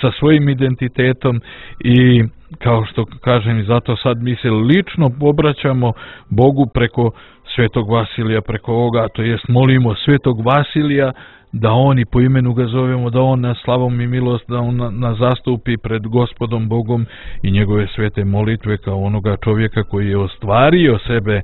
sa svojim identitetom i kao što kažem, zato sad mi se lično obraćamo Bogu preko Svetog Vasilija, preko ovoga, to jest molimo Svetog Vasilija da on, i po imenu ga zovemo, da on nas slavom i milost, da on nas zastupi pred Gospodom Bogom i njegove svete molitve kao onoga čovjeka koji je ostvario sebe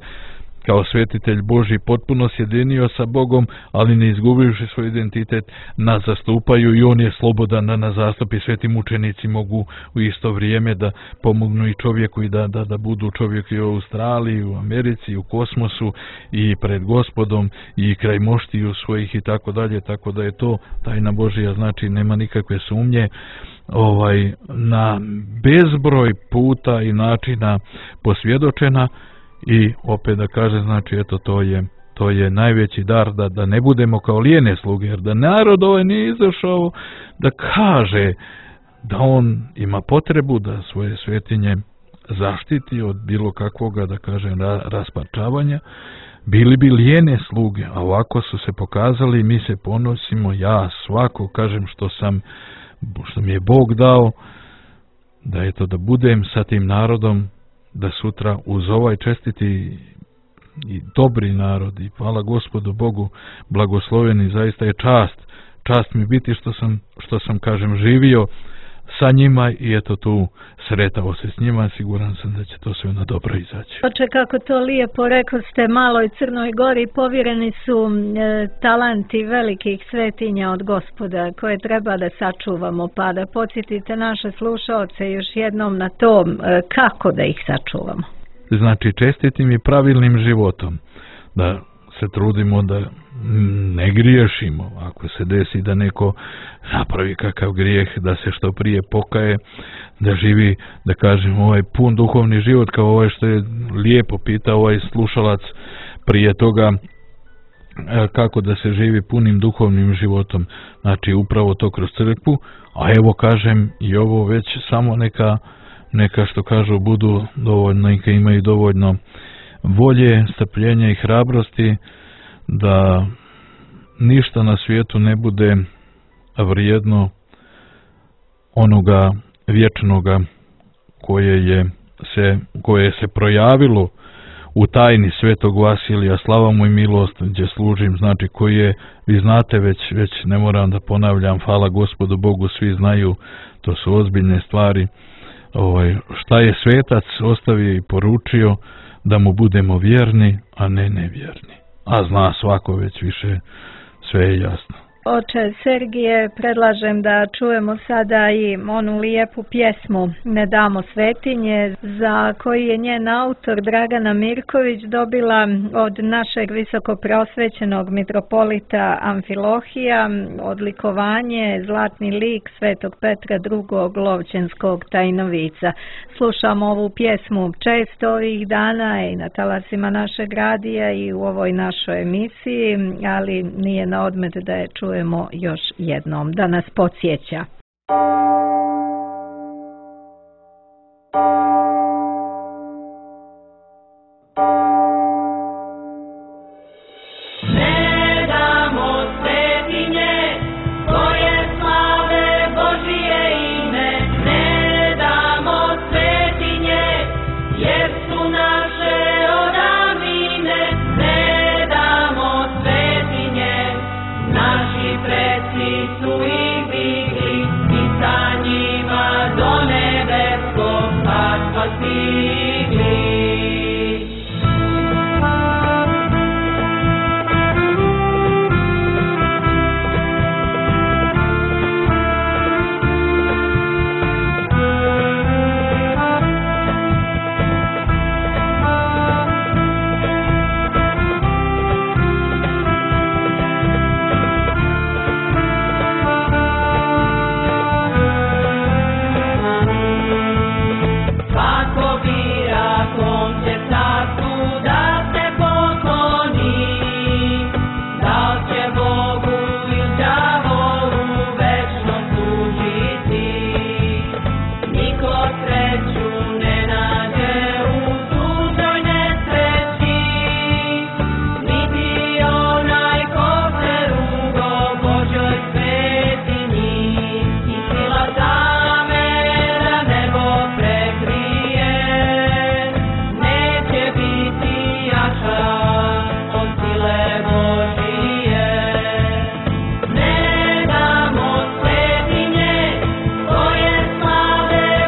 kao svetitelj Božji, potpuno sjedinio sa Bogom, ali ne izgubivši svoj identitet, nas zastupaju i on je slobodan da nas zastupi. Sveti mučenici mogu u isto vrijeme da pomognu i čovjeku i da, da, da budu čovjek i u Australiji, u Americi, u kosmosu i pred Gospodom i kraj moštiju svojih i tako dalje, tako da je to tajna Božja, znači nema nikakve sumnje. Ovaj, na bezbroj puta i načina posvjedočena. I opet da kaže, znači eto to je to je najveći dar, da, da ne budemo kao lijene sluge, jer da narod ovaj nije izašao da kaže da on ima potrebu da svoje svetinje zaštiti od bilo kakvoga, da kažem, rasparčavanja, bili bi lijene sluge, a ovako su se pokazali, mi se ponosimo, ja svako kažem što sam, što mi je Bog dao, da eto da budem sa tim narodom, da sutra uz ovaj čestiti i dobri narod, i hvala Gospodu Bogu, blagosloveni, zaista je čast, čast mi biti što sam, što sam kažem, živio sa njima i eto tu sretao se s njima, siguran sam da će to sve na dobro izaći. Oče, kako to lijepo rekao ste, Maloj Crnoj Gori povjereni su e, talanti velikih svetinja od Gospoda koje treba da sačuvamo, pa da podsjetite naše slušaoce još jednom na to e, kako da ih sačuvamo. Znači čestitim i pravilnim životom, da se trudimo da ne griješimo, ako se desi da neko napravi kakav grijeh, da se što prije pokaje, da živi, da kažem, ovaj pun duhovni život, kao ovaj što je lijepo pitao ovaj slušalac prije toga, kako da se živi punim duhovnim životom, znači upravo to kroz crkvu, a evo kažem i ovo već samo neka, neka što kažu budu dovoljno, neka imaju dovoljno volje, strpljenja i hrabrosti da ništa na svijetu ne bude vrijedno onoga vječnoga koje je se, koje se projavilo u tajni Svetog Vasilija, slava mu i milost, gdje služim, znači koji je, vi znate već, već ne moram da ponavljam, hvala Gospodu Bogu, svi znaju, to su ozbiljne stvari. Ovaj, šta je svetac ostavio i poručio, da mu budemo vjerni, a ne nevjerni. A zna svako već više, sve je jasno. Oče Sergije, predlažem da čujemo sada i onu lijepu pjesmu Ne damo svetinje, za koji je njen autor Dragana Mirković dobila od našeg visokoprosvećenog mitropolita Amfilohija odlikovanje Zlatni lik Svetog Petra drugog Lovćenskog tajnovica. Slušamo ovu pjesmu često ovih dana i na talasima našeg radija i u ovoj našoj emisiji, ali nije na odmet da je čujemo čujemo još jednom, da nas podsjeća.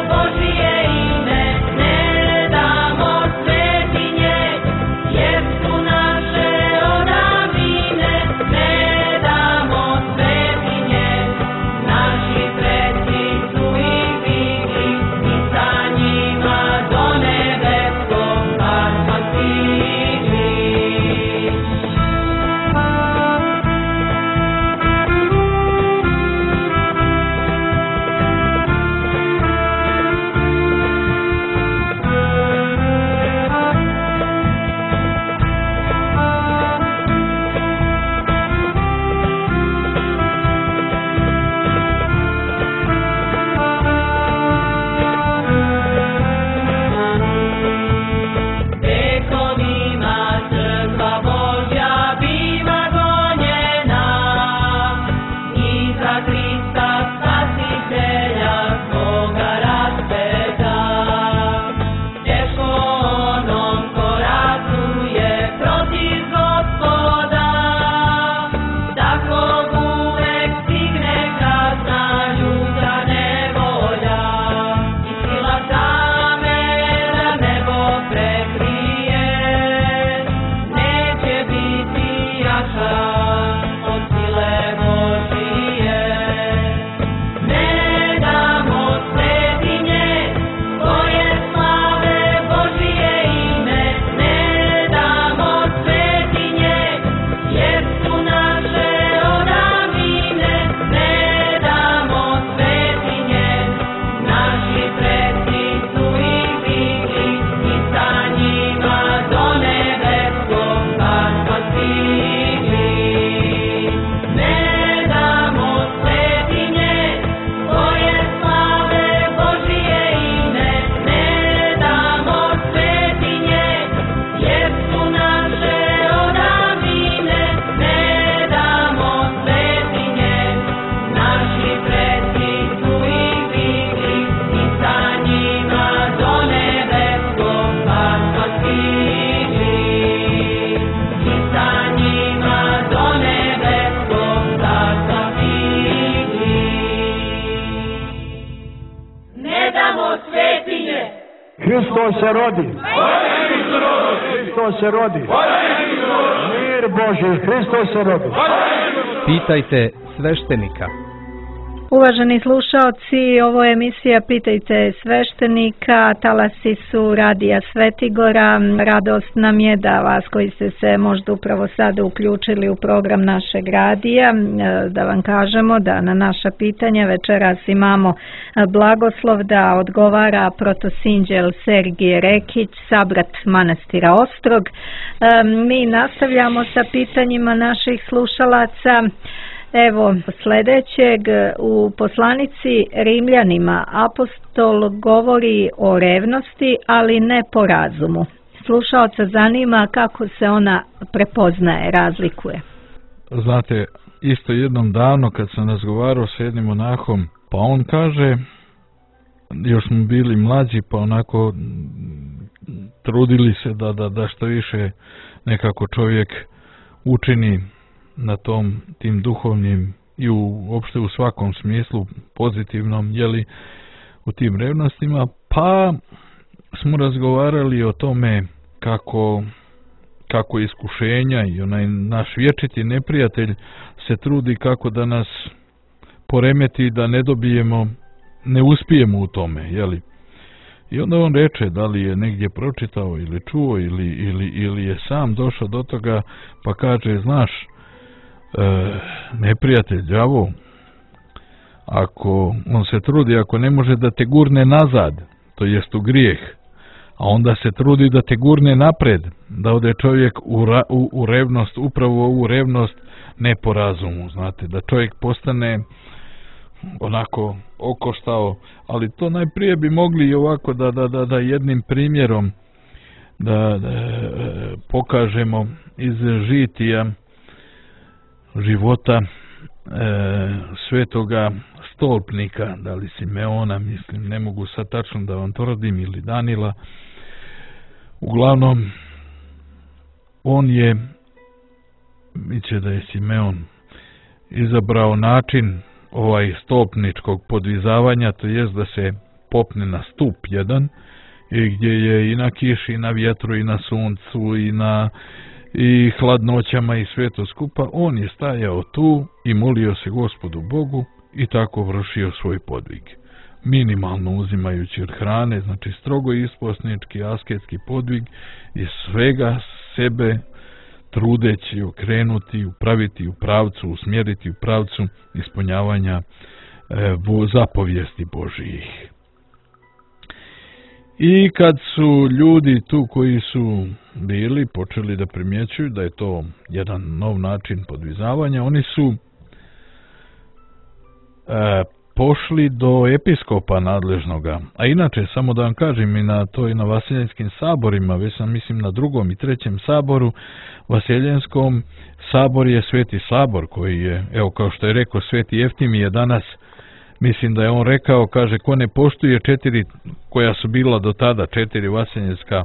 Božije, Hristos se rodi. Hristos se rodi. Mir Boži, Hristos se rodi. Pitajte sveštenika. Uvaženi slušaoci, ovo je emisija Pitajte sveštenika, talasi su Radija Svetigora. Radost nam je da vas koji ste se možda upravo sada uključili u program našeg radija, da vam kažemo da na naša pitanja večeras imamo blagoslov da odgovara protosinđel Sergije Rekić, sabrat manastira Ostrog. Mi nastavljamo sa pitanjima naših slušalaca. Evo sljedećeg, u poslanici Rimljanima apostol govori o revnosti, ali ne po razumu. Slušaoca zanima kako se ona prepoznaje, razlikuje. Znate, isto jednom davno kad sam razgovarao s jednim monahom, pa on kaže, još smo bili mlađi, pa onako trudili se da, da, da što više nekako čovjek učini na tom, tim duhovnim i u, uopšte u svakom smislu pozitivnom, jeli, u tim revnostima, pa smo razgovarali o tome kako, kako iskušenja i onaj naš vječiti neprijatelj se trudi kako da nas poremeti, da ne dobijemo, ne uspijemo u tome, jeli. I onda on reče da li je negdje pročitao ili čuo ili, ili, ili je sam došao do toga, pa kaže, znaš, E, neprijatelj, đavo, ako on se trudi, ako ne može da te gurne nazad, to jest u grijeh, a onda se trudi da te gurne napred, da ode čovjek u, ra, u, u revnost, upravo u revnost, ne po razumu, znate, da čovjek postane onako okoštao, ali to najprije bi mogli i ovako da, da, da, da jednim primjerom da, da e, pokažemo iz žitija života e, svetoga stolpnika, da li Simeona, mislim, ne mogu sad tačno da vam tvrdim, ili Danila. Uglavnom, on je, miće da je Simeon, izabrao način ovaj stolpničkog podvizavanja, to jest da se popne na stup jedan, i gdje je i na kiši, i na vjetru, i na suncu, i na i hladnoćama i sve to skupa, on je stajao tu i molio se Gospodu Bogu i tako vršio svoj podvig. Minimalno uzimajući od hrane, znači strogo isposnički, asketski podvig i svega sebe trudeći okrenuti, upraviti u pravcu, usmjeriti u pravcu ispunjavanja e, zapovijesti Božijih. I kad su ljudi tu koji su bili počeli da primjećuju da je to jedan nov način podvizavanja, oni su e, pošli do episkopa nadležnoga. A inače, samo da vam kažem, i na to i na Vaseljenskim saborima, već sam mislim na drugom i trećem saboru, Vaseljenskom sabor je Sveti sabor koji je, evo kao što je rekao Sveti Jeftimije danas, mislim da je on rekao, kaže, ko ne poštuje četiri, koja su bila do tada, četiri Vaseljenska e,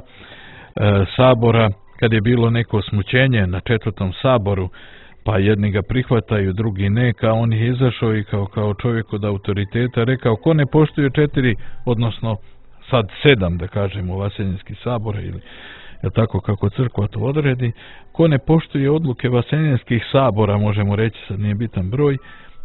sabora, kad je bilo neko smućenje na četvrtom saboru, pa jedni ga prihvataju, drugi ne, kao on je izašao i kao, kao čovjek od autoriteta rekao, ko ne poštuje četiri, odnosno sad sedam, da kažemo, Vaseljenski sabor, ili je tako kako crkva to odredi, ko ne poštuje odluke Vaseljenskih sabora, možemo reći, sad nije bitan broj,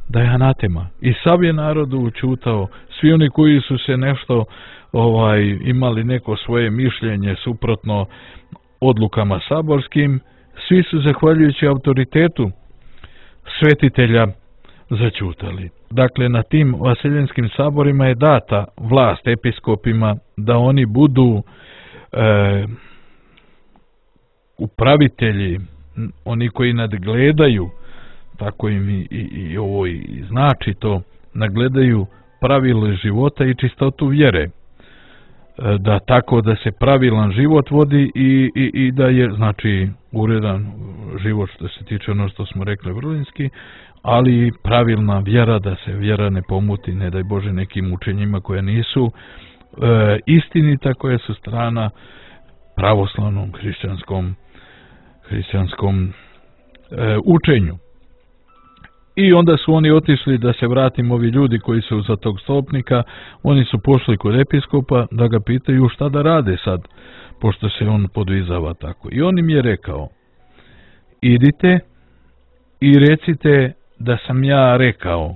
da je anatema. I sav je narodu učutao, svi oni koji su se nešto ovaj imali neko svoje mišljenje suprotno odlukama saborskim, svi su zahvaljujući autoritetu svetitelja začutali. Dakle, na tim vaseljenskim saborima je data vlast episkopima da oni budu e, upravitelji, oni koji nadgledaju, tako im i, i, i ovo i znači to, nagledaju pravila života i čistotu vjere, da tako da se pravilan život vodi i, i, i da je, znači, uredan život što se tiče ono što smo rekli vrlinski, ali pravilna vjera, da se vjera ne pomuti, ne daj Bože, nekim učenjima koje nisu e, istinita, koje su strana pravoslavnom hrišćanskom hrišćanskom e, učenju. I onda su oni otišli, da se vratimo, ovi ljudi koji su za tog stolpnika, oni su pošli kod episkopa da ga pitaju šta da rade sad, pošto se on podvizava tako. I on im je rekao, idite i recite da sam ja rekao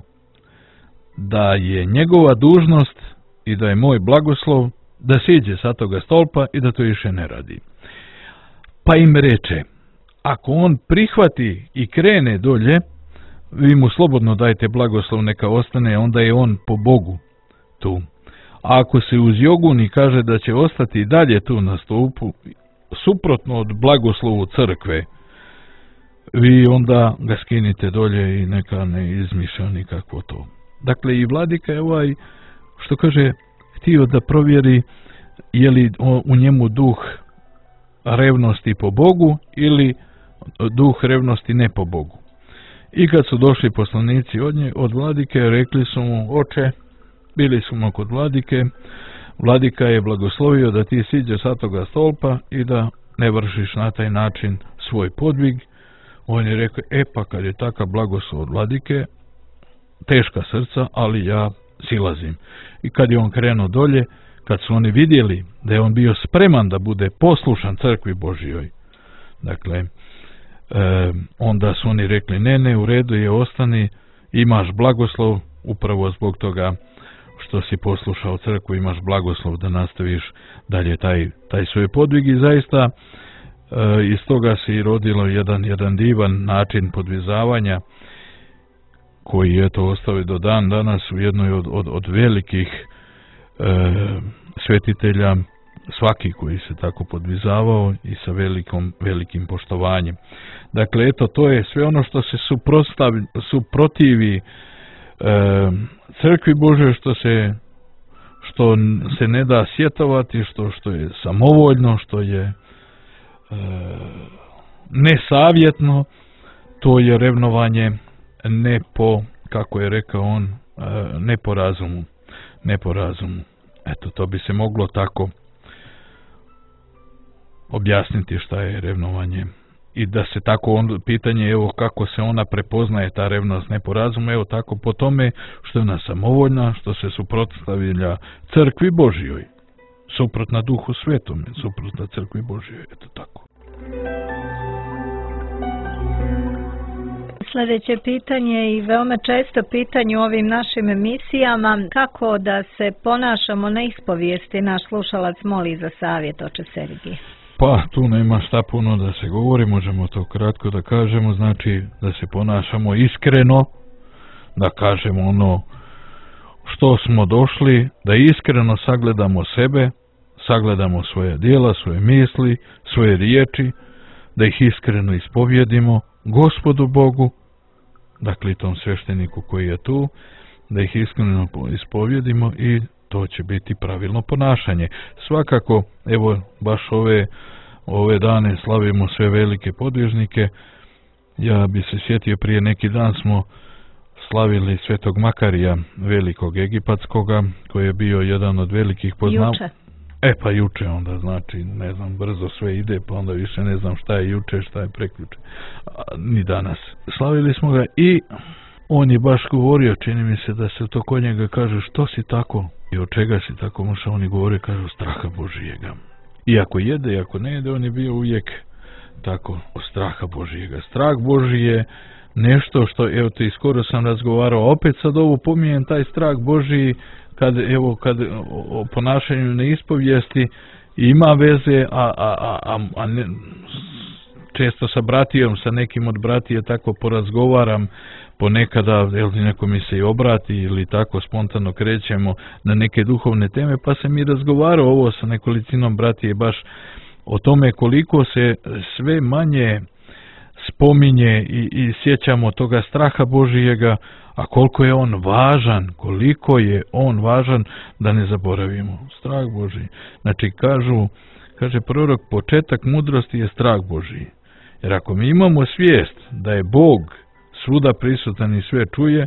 da je njegova dužnost i da je moj blagoslov da siđe sa toga stolpa i da to više ne radi. Pa im reče, ako on prihvati i krene dolje, vi mu slobodno dajte blagoslov, neka ostane, onda je on po Bogu tu. A ako se uz joguni kaže da će ostati dalje tu na stolpu, suprotno od blagoslovu crkve, vi onda ga skinite dolje i neka ne izmišlja nikakvo to. Dakle, i vladika je ovaj, što kaže, htio da provjeri je li u njemu duh revnosti po Bogu ili duh revnosti ne po Bogu. I kad su došli poslanici od nje, od vladike, rekli su mu, oče, bili smo kod vladike, vladika je blagoslovio da ti siđeš sa toga stolpa i da ne vršiš na taj način svoj podvig. On je rekao, e pa kad je takav blagoslov od vladike, teška srca, ali ja silazim. I kad je on krenuo dolje, kad su oni vidjeli da je on bio spreman da bude poslušan crkvi Božijoj, dakle, e, onda su oni rekli, ne, ne, u redu je, ostani, imaš blagoslov, upravo zbog toga što si poslušao crkvu, imaš blagoslov da nastaviš dalje taj, taj svoj podvig. I zaista e, iz toga se i rodilo jedan, jedan divan način podvizavanja, koji je to ostao do dan danas u jednoj od, od, od velikih e, svetitelja, svaki koji se tako podvizavao i sa velikom, velikim poštovanjem. Dakle, eto, to je sve ono što se suprotivi e, crkvi Božoj, što se, što se ne da sjetovati, što, što je samovoljno, što je e, nesavjetno, to je revnovanje ne po, kako je rekao on, ne po razumu, ne po razumu. Eto, to bi se moglo tako objasniti šta je revnovanje. I da se tako on, pitanje, evo kako se ona prepoznaje, ta revnost ne po razumu, evo tako po tome što je ona samovoljna, što se suprotstavlja crkvi Božijoj, suprotna Duhu Svetome, suprotna crkvi Božijoj, eto tako. Sljedeće pitanje i veoma često pitanje u ovim našim emisijama, kako da se ponašamo na ispovijesti, naš slušalac moli za savjet, oče Sergije. Pa, tu nema šta puno da se govori, možemo to kratko da kažemo, znači da se ponašamo iskreno, da kažemo ono što smo došli, da iskreno sagledamo sebe, sagledamo svoje djela, svoje misli, svoje riječi, da ih iskreno ispovjedimo Gospodu Bogu, dakle tom svešteniku koji je tu, da ih iskreno ispovjedimo i to će biti pravilno ponašanje. Svakako, evo, baš ove, ove dane slavimo sve velike podvižnike. Ja bi se sjetio, prije neki dan smo slavili Svetog Makarija, velikog egipatskoga, koji je bio jedan od velikih poznav... Juče. E pa juče onda, znači, ne znam, brzo sve ide, pa onda više ne znam šta je juče, šta je prekjuče, ni danas. Slavili smo ga i on je baš govorio, čini mi se da se to kod njega kaže, što si tako i od čega si tako, možda oni govore, kažu, straha Božijega. Iako jede, iako ne jede, on je bio uvijek tako, od straha Božijega. Strah Božji je nešto što, evo te, skoro sam razgovarao, opet sad ovo pominjem, taj strah Božji, kad, evo, kad o ponašanju na ispovijesti ima veze, a, a, a, a ne, često sa bratijom, sa nekim od bratije tako porazgovaram, ponekada, jel, neko mi se i obrati ili tako spontano krećemo na neke duhovne teme, pa sam i razgovarao ovo sa nekolicinom bratije baš o tome koliko se sve manje spominje i, i sjećamo toga straha Božijega, a koliko je on važan, koliko je on važan, da ne zaboravimo. Strah Božji. Znači, kažu, kaže prorok, početak mudrosti je strah Božji. Jer ako mi imamo svijest da je Bog svuda prisutan i sve čuje,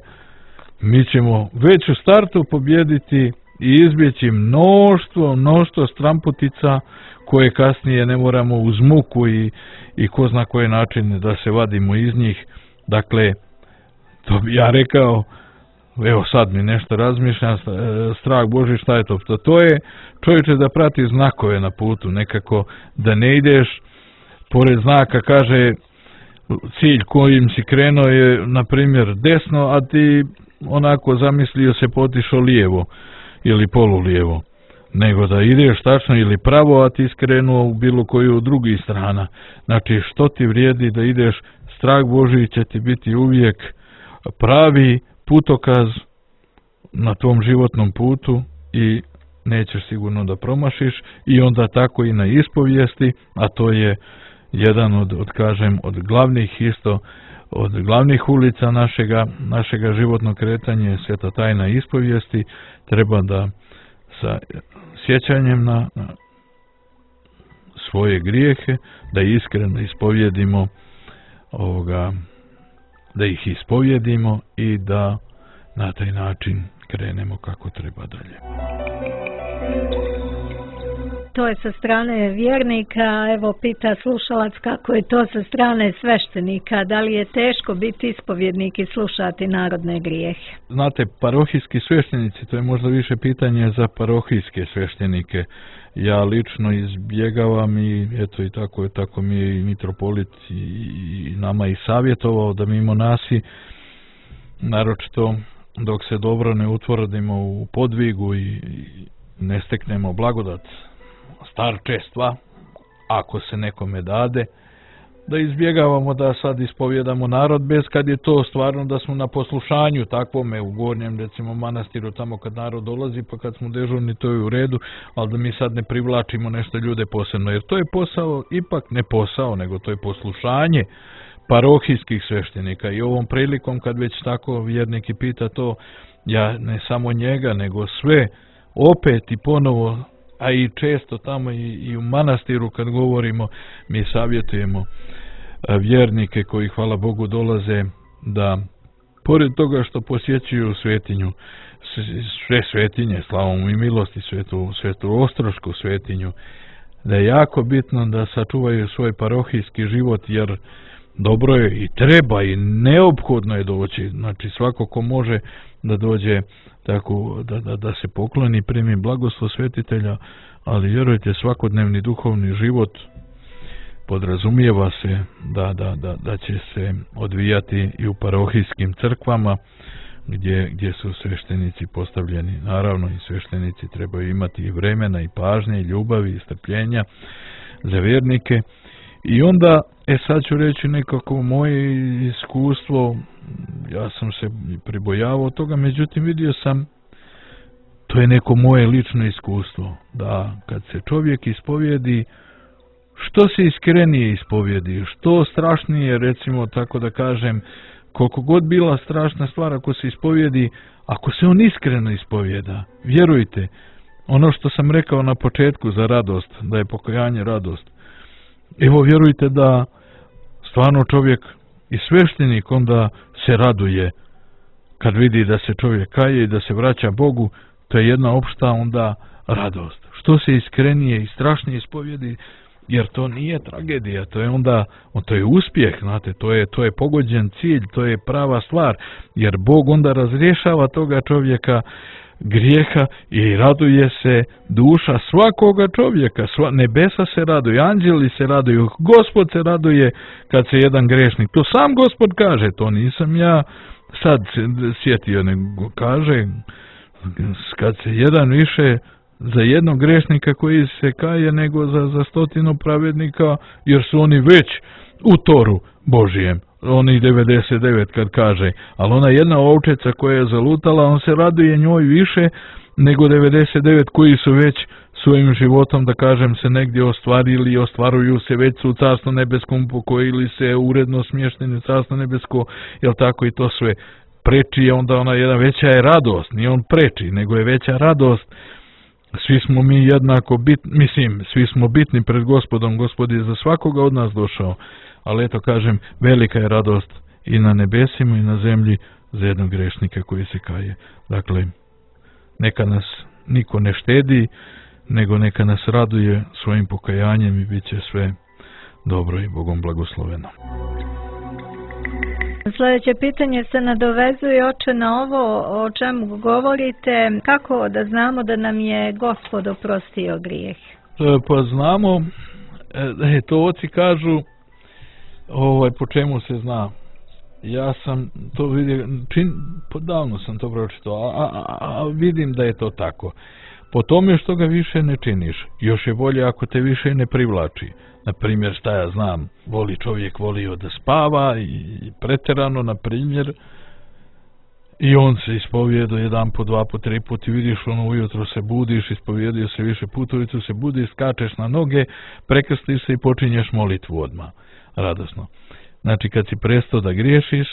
mi ćemo već u startu pobjediti i izbjeći mnoštvo, mnoštvo stramputica koje kasnije ne moramo uz muku i, i ko zna koje načine da se vadimo iz njih. Dakle, To bi ja rekao, evo sad mi nešto razmišljam, strah Božji, šta je to? To, to je čovječe da prati znakove na putu, nekako da ne ideš pored znaka, kaže cilj kojim si krenuo je na primjer desno, a ti onako zamislio se potišao lijevo ili polulijevo, nego da ideš tačno ili pravo, a ti skrenuo u bilo koju od drugih strana. Znači što ti vrijedi da ideš, strah Božji će ti biti uvijek pravi putokaz na tvom životnom putu i nećeš sigurno da promašiš. I onda tako i na ispovijesti, a to je jedan od, od kažem, od glavnih isto, od glavnih ulica našega, našega životnog kretanja je sveta tajna ispovijesti. Treba da sa sjećanjem na, na svoje grijehe, da iskreno ispovjedimo ovoga, da ih ispovjedimo i da na taj način krenemo kako treba dalje. To je sa strane vjernika, evo pita slušalac kako je to sa strane sveštenika, da li je teško biti ispovjednik i slušati narodne grijehe? Znate, parohijski sveštenici, to je možda više pitanje za parohijske sveštenike. Ja lično izbjegavam i eto i tako je, tako mi je i mitropolit i, i nama i savjetovao da mimo nasi, naročito dok se dobro ne utvrdimo u podvigu i, i ne steknemo blagodat starčestva, ako se nekome dade, da izbjegavamo da sad ispovjedamo narod bez kad je to stvarno da smo na poslušanju takvome u gornjem recimo manastiru tamo kad narod dolazi, pa kad smo dežurni to je u redu, ali da mi sad ne privlačimo nešto ljude posebno, jer to je posao, ipak ne posao, nego to je poslušanje parohijskih sveštenika. I ovom prilikom kad već tako vjernik i pita to, ja ne samo njega nego sve opet i ponovo, a i često tamo i, i u manastiru kad govorimo, mi savjetujemo vjernike koji hvala Bogu dolaze da pored toga što posjećuju svetinju, sve svetinje, slavom i milosti, svetu, svetu Ostrošku svetinju, da je jako bitno da sačuvaju svoj parohijski život, jer dobro je i treba i neophodno je doći, znači svako ko može da dođe tako, da, da, da se pokloni, primi blagoslov svetitelja, ali vjerujte, svakodnevni duhovni život podrazumijeva se da, da, da, da će se odvijati i u parohijskim crkvama gdje, gdje su sveštenici postavljeni. Naravno i sveštenici trebaju imati i vremena i pažnje i ljubavi i strpljenja za vjernike. I onda, e sad ću reći nekako moje iskustvo, ja sam se pribojavao toga, međutim vidio sam, to je neko moje lično iskustvo, da kad se čovjek ispovjedi, što se iskrenije ispovjedi, što strašnije, recimo tako da kažem, koliko god bila strašna stvar ako se ispovjedi, ako se on iskreno ispovjeda, vjerujte, ono što sam rekao na početku za radost, da je pokajanje radost, evo vjerujte da stvarno čovjek i sveštenik onda se raduje kad vidi da se čovjek kaje i da se vraća Bogu, to je jedna opšta onda radost. Što se iskrenije i strašnije ispovjedi, jer to nije tragedija, to je onda, to je uspjeh, znate, to je, to je pogođen cilj, to je prava stvar, jer Bog onda razrješava toga čovjeka grijeha i raduje se duša svakoga čovjeka, sva, nebesa se raduje, anđeli se raduju, Gospod se raduje kad se jedan grešnik, to sam Gospod kaže, to nisam ja sad sjetio, nego kaže kad se jedan više za jednog grešnika koji se kaje nego za, za stotinu pravednika, jer su oni već u toru Božijem, oni devedeset devet kad kaže, ali ona jedna ovčeca koja je zalutala, on se raduje njoj više nego devedeset devet koji su već svojim životom, da kažem, se negdje ostvarili i ostvaruju se, već su u Carstvu nebeskom pokojili se, uredno smješteni u Carstvo nebesko, jel tako, i to sve preči je onda ona jedna veća je radost, nije on preči, nego je veća radost. Svi smo mi jednako bitni, mislim, svi smo bitni pred Gospodom, Gospod je za svakoga od nas došao, ali eto kažem, velika je radost i na nebesima i na zemlji za jednog grešnika koji se kaje. Dakle, neka nas niko ne štedi, nego neka nas raduje svojim pokajanjem i bit će sve dobro i Bogom blagosloveno. Sljedeće pitanje se nadovezuje, oče, na ovo o čemu govorite. Kako da znamo da nam je Gospod oprostio grijeh? E, pa znamo, e, to oci kažu, ovaj, po čemu se zna. Ja sam to vidio, čin, davno sam to pročitao, a, a, a vidim da je to tako. Po tome što ga više ne činiš, još je bolje ako te više ne privlači. Na primjer, šta ja znam, voli čovjek volio da spava i pretjerano, na primjer, i on se ispovjedo jedan po dva po tri put i vidiš ono ujutro se budiš, ispovjedio se više puta, ujutro se budiš, skačeš na noge, prekrstiš se i počinješ molitvu odmah, radosno. Znači kad si prestao da griješiš,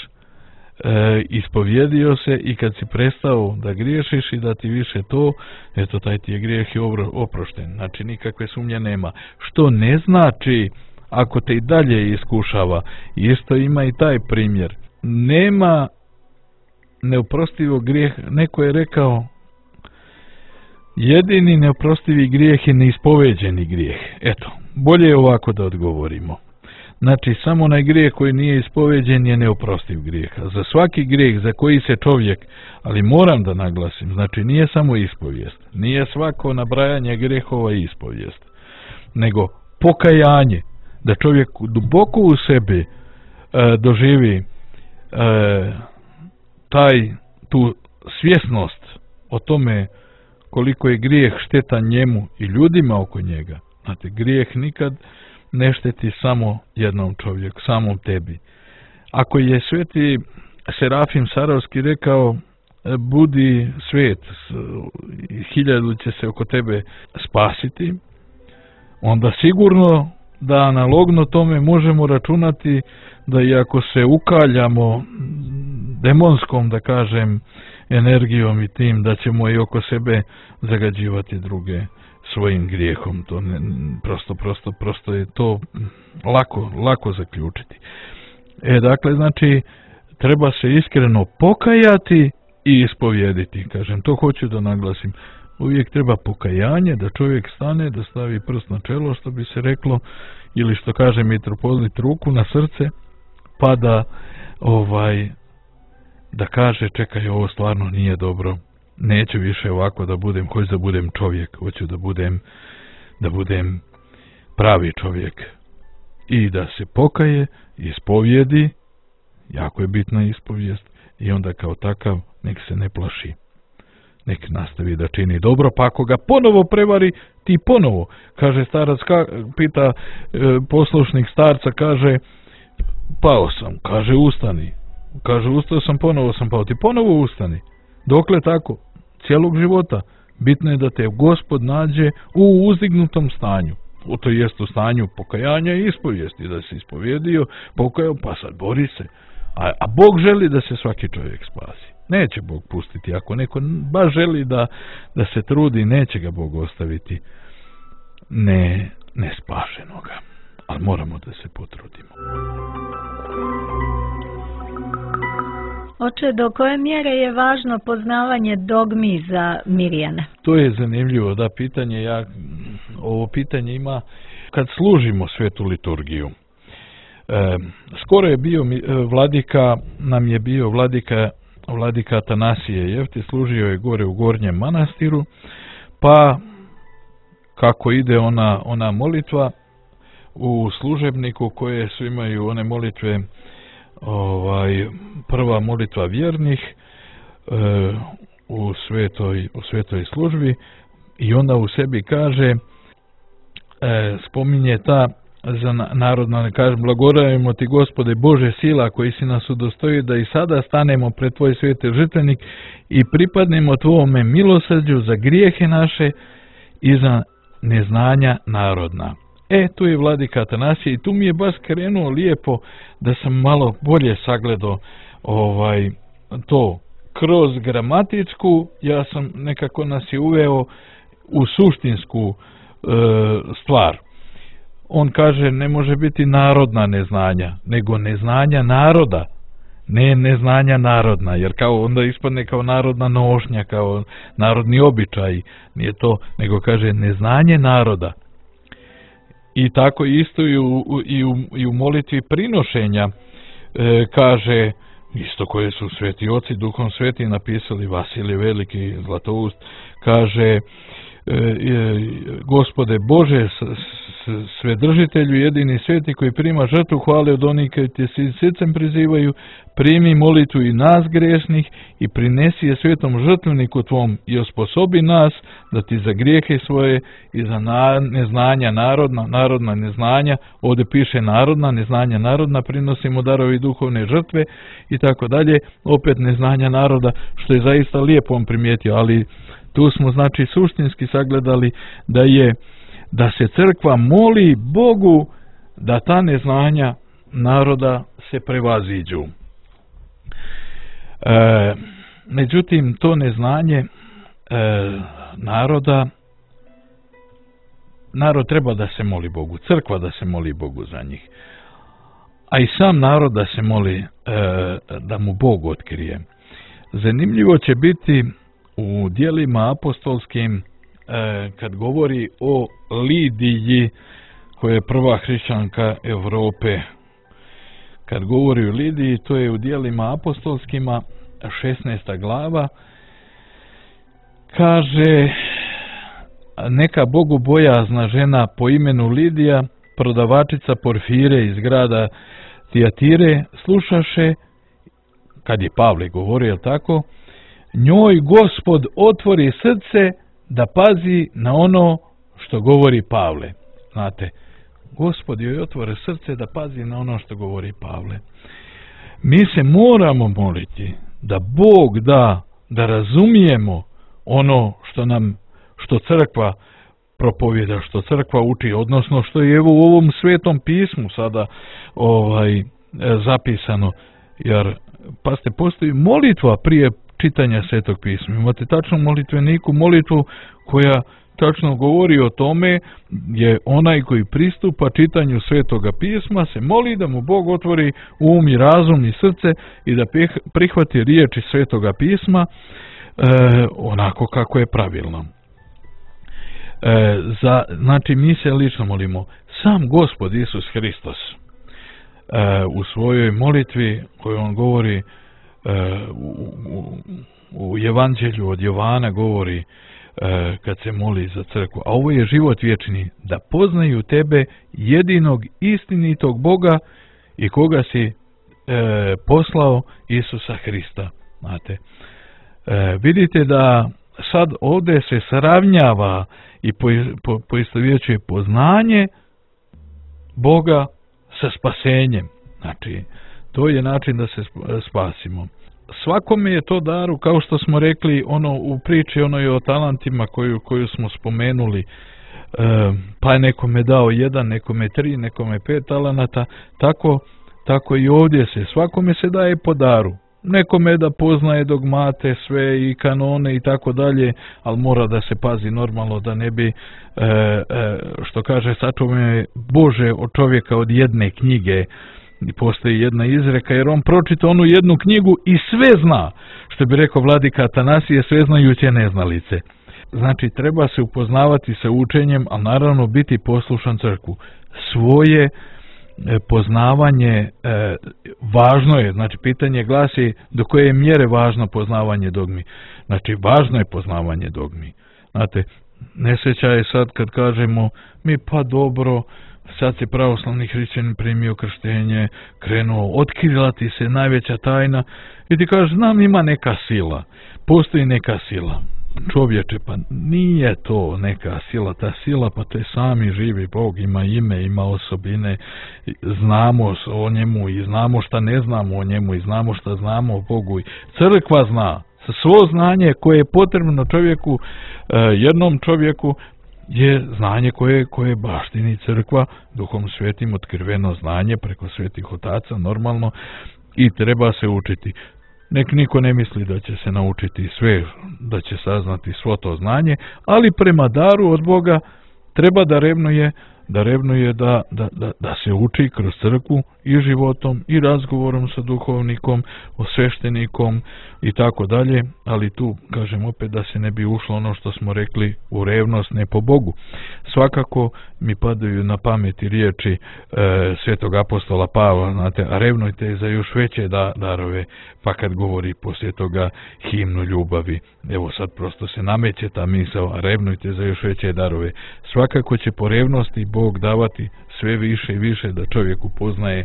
e, ispovjedio se i kad si prestao da griješiš i da ti više to, eto taj ti je grijeh i oprošten. Znači nikakve sumnje nema. Što ne znači, ako te i dalje iskušava, isto ima i taj primjer. Nema neoprostivog grijeha. Neko je rekao, jedini neoprostivi grijeh je neispoveđeni grijeh. Eto, bolje je ovako da odgovorimo. Znači, samo onaj grijeh koji nije ispoveđen je neoprostiv grijeh. Za svaki grijeh za koji se čovjek, ali moram da naglasim, znači nije samo ispovijest, nije svako nabrajanje grijehova ispovijest, nego pokajanje, da čovjek duboko u sebi e, doživi e, taj, tu svjesnost o tome koliko je grijeh štetan njemu i ljudima oko njega. Znate, grijeh nikad ne šteti samo jednom čovjeku, samom tebi. Ako je sveti Serafim Sarovski rekao, budi svet, hiljadu će se oko tebe spasiti, onda sigurno da analogno tome možemo računati da i ako se ukaljamo demonskom, da kažem, energijom i tim, da ćemo i oko sebe zagađivati druge svojim grijehom. To ne, prosto, prosto, prosto je to lako, lako zaključiti. E, dakle, znači, treba se iskreno pokajati i ispovjediti. Kažem, to hoću da naglasim. Uvijek treba pokajanje, da čovjek stane, da stavi prst na čelo, što bi se reklo, ili što kaže mitropolit, ruku na srce, pa da, ovaj, da kaže, čekaj, ovo stvarno nije dobro. Neću više ovako da budem, hoću da budem čovjek, hoću da budem, da budem pravi čovjek. I da se pokaje, ispovjedi, jako je bitna ispovijest, i onda kao takav nek se ne plaši. Nek nastavi da čini dobro, pa ako ga ponovo prevari, ti ponovo. Kaže starac, ka, pita e, poslušnik starca, kaže, pao sam, kaže ustani. Kaže, ustao sam, ponovo sam pao, ti ponovo ustani. Dokle tako? Cijelog života. Bitno je da te Gospod nađe u uzdignutom stanju. U to jest u stanju pokajanja i ispovijesti. Da se ispovjedio, pokajao, pa sad bori se. A, a Bog želi da se svaki čovjek spasi. Neće Bog pustiti. Ako neko baš želi da, da se trudi, neće ga Bog ostaviti ne, ne spašenoga. Ali moramo da se potrudimo. Oče, do koje mjere je važno poznavanje dogmi za Mirjane? To je zanimljivo, da, pitanje, ja, ovo pitanje ima kad služimo svetu liturgiju. E, skoro je bio vladika, nam je bio vladika, vladika Atanasije Jefti, služio je gore u Gornjem manastiru, pa kako ide ona, ona molitva u služebniku koje su imaju one molitve, ovaj, prva molitva vjernih e, u svetoj, u svetoj službi, i onda u sebi kaže, e, spominje ta za narodna, ne kažem, blagodarujemo ti Gospode Bože sila koji si nas udostojio da i sada stanemo pred tvoj sveti žrtvenik i pripadnemo tvome milosrđu za grijehe naše i za neznanja narodna. E, tu je vladika Atanasije i tu mi je baš krenuo lijepo da sam malo bolje sagledao ovaj, to. Kroz gramatičku, ja sam nekako nas je uveo u suštinsku e, stvar. On kaže, ne može biti narodna neznanja, nego neznanja naroda, ne neznanja narodna, jer kao onda ispadne kao narodna nošnja, kao narodni običaj, nije to, nego kaže neznanje naroda. I tako isto i u, i u, i u molitvi prinošenja, e, kaže, isto koje su sveti oci Duhom Sveti napisali, Vasilije Veliki, Zlatoust, kaže, e, e, Gospode Bože, s, s, Svedržitelju, jedini sveti koji prima žrtvu hvale od onih koji te srcem prizivaju, primi molitvu i nas grešnih i prinesi je svetom žrtveniku tvom i osposobi nas da ti za grijehe svoje i za na, neznanja narodna, narodna neznanja, ovdje piše narodna, neznanja narodna, prinosimo darovi duhovne žrtve i tako dalje, opet neznanja naroda, što je zaista lijepo on primijetio, ali tu smo znači suštinski sagledali da je da se crkva moli Bogu da ta neznanja naroda se prevaziđu. E, međutim, to neznanje e, naroda, narod treba da se moli Bogu, crkva da se moli Bogu za njih, a i sam narod da se moli e, da mu Bog otkrije. Zanimljivo će biti u djelima apostolskim e, kad govori o Lidiji, koja je prva hrišćanka Europe. Kad govori o Lidiji, to je u djelima apostolskima, šesnaesta glava, kaže, neka bogobojazna žena po imenu Lidija, prodavačica porfire iz grada Tijatire, slušaše, kad je Pavle govorio, jel tako, njoj Gospod otvori srce da pazi na ono što govori Pavle. Znate, Gospod joj otvori srce da pazi na ono što govori Pavle. Mi se moramo moliti da Bog da, da razumijemo ono što nam, što crkva propovjeda, što crkva uči, odnosno što je evo u ovom svetom pismu sada ovaj zapisano, jer pa ste postoji molitva prije čitanja svetog pisma. Imate tačno molitveniku, molitvu koja tačno govori o tome, je onaj koji pristupa čitanju svetoga pisma se moli da mu Bog otvori um i razum i srce i da prihvati riječi svetoga pisma e, onako kako je pravilno. E, za, znači mi se lično molimo. Sam Gospod Isus Hristos e, u svojoj molitvi koju on govori e, u, u, u Evanđelju od Jovana govori e, kad se moli za crkvu, a ovo je život vječni, da poznaju tebe jedinog istinitog Boga i koga si e, poslao, Isusa Hrista. Znate, e, vidite da sad ovdje se sravnjava i po, po, poistovjećuje poznanje Boga sa spasenjem. Znači, to je način da se spasimo. Svakome je to daru, kao što smo rekli ono u priči onoj o talentima koju, koju smo spomenuli, e, pa je nekome dao jedan, nekome tri, nekome pet talenata, tako, tako i ovdje se, svakome se daje po daru. Nekome da poznaje dogmate, sve i kanone i tako dalje, ali mora da se pazi normalno da ne bi, e, e, što kaže, sačuvaj Bože od čovjeka od jedne knjige. I postoji jedna izreka, jer on pročita onu jednu knjigu i sve zna, što bi rekao vladika Atanasije, sve znajuće neznalice. Znači, treba se upoznavati sa učenjem, a naravno biti poslušan crkvu. Svoje poznavanje e, važno je, znači pitanje glasi do koje mjere važno poznavanje dogmi. Znači, važno je poznavanje dogmi. Znate, nesreća je sad kad kažemo mi pa dobro, sad se pravoslavni hrišćanin primio krštenje, krenuo, otkrila ti se najveća tajna i ti kažeš, znam, ima neka sila, postoji neka sila. Čovječe, pa nije to neka sila, ta sila, pa to je sami živi Bog, ima ime, ima osobine, znamo o njemu i znamo šta ne znamo o njemu i znamo šta znamo o Bogu. Crkva zna, sa svo znanje koje je potrebno čovjeku, jednom čovjeku, je znanje koje, koje baštini crkva, Duhom Svetim otkriveno znanje preko svetih otaca, normalno, i treba se učiti. Nek niko ne misli da će se naučiti sve, da će saznati svo to znanje, ali prema daru od Boga treba da revnuje, da revnuje da, da, da, da se uči kroz crkvu i životom i razgovorom sa duhovnikom, osveštenikom i tako dalje, ali tu kažem opet da se ne bi ušlo ono što smo rekli u revnost ne po Bogu. svakako mi padaju na pameti riječi e, svetog apostola Pavla, znate, a revnujte za još veće da, darove, pa kad govori poslije toga himnu ljubavi, evo sad prosto se nameće ta misao, a revnujte za još veće darove. Svakako će po revnosti Bog davati sve više i više da čovjek upoznaje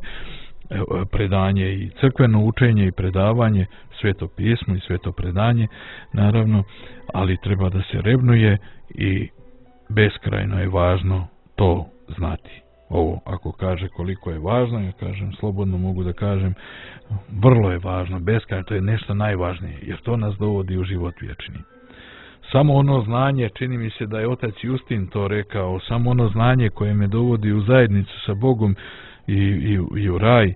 predanje i crkveno učenje i predavanje, sveto pismo i sveto predanje, naravno, ali treba da se revnuje i beskrajno je važno to znati. Ovo, ako kaže koliko je važno, ja kažem, slobodno mogu da kažem, vrlo je važno, beskrajno, to je nešto najvažnije, jer to nas dovodi u život vječni. Samo ono znanje, čini mi se da je otac Justin to rekao, samo ono znanje koje me dovodi u zajednicu sa Bogom i, i, i u raj,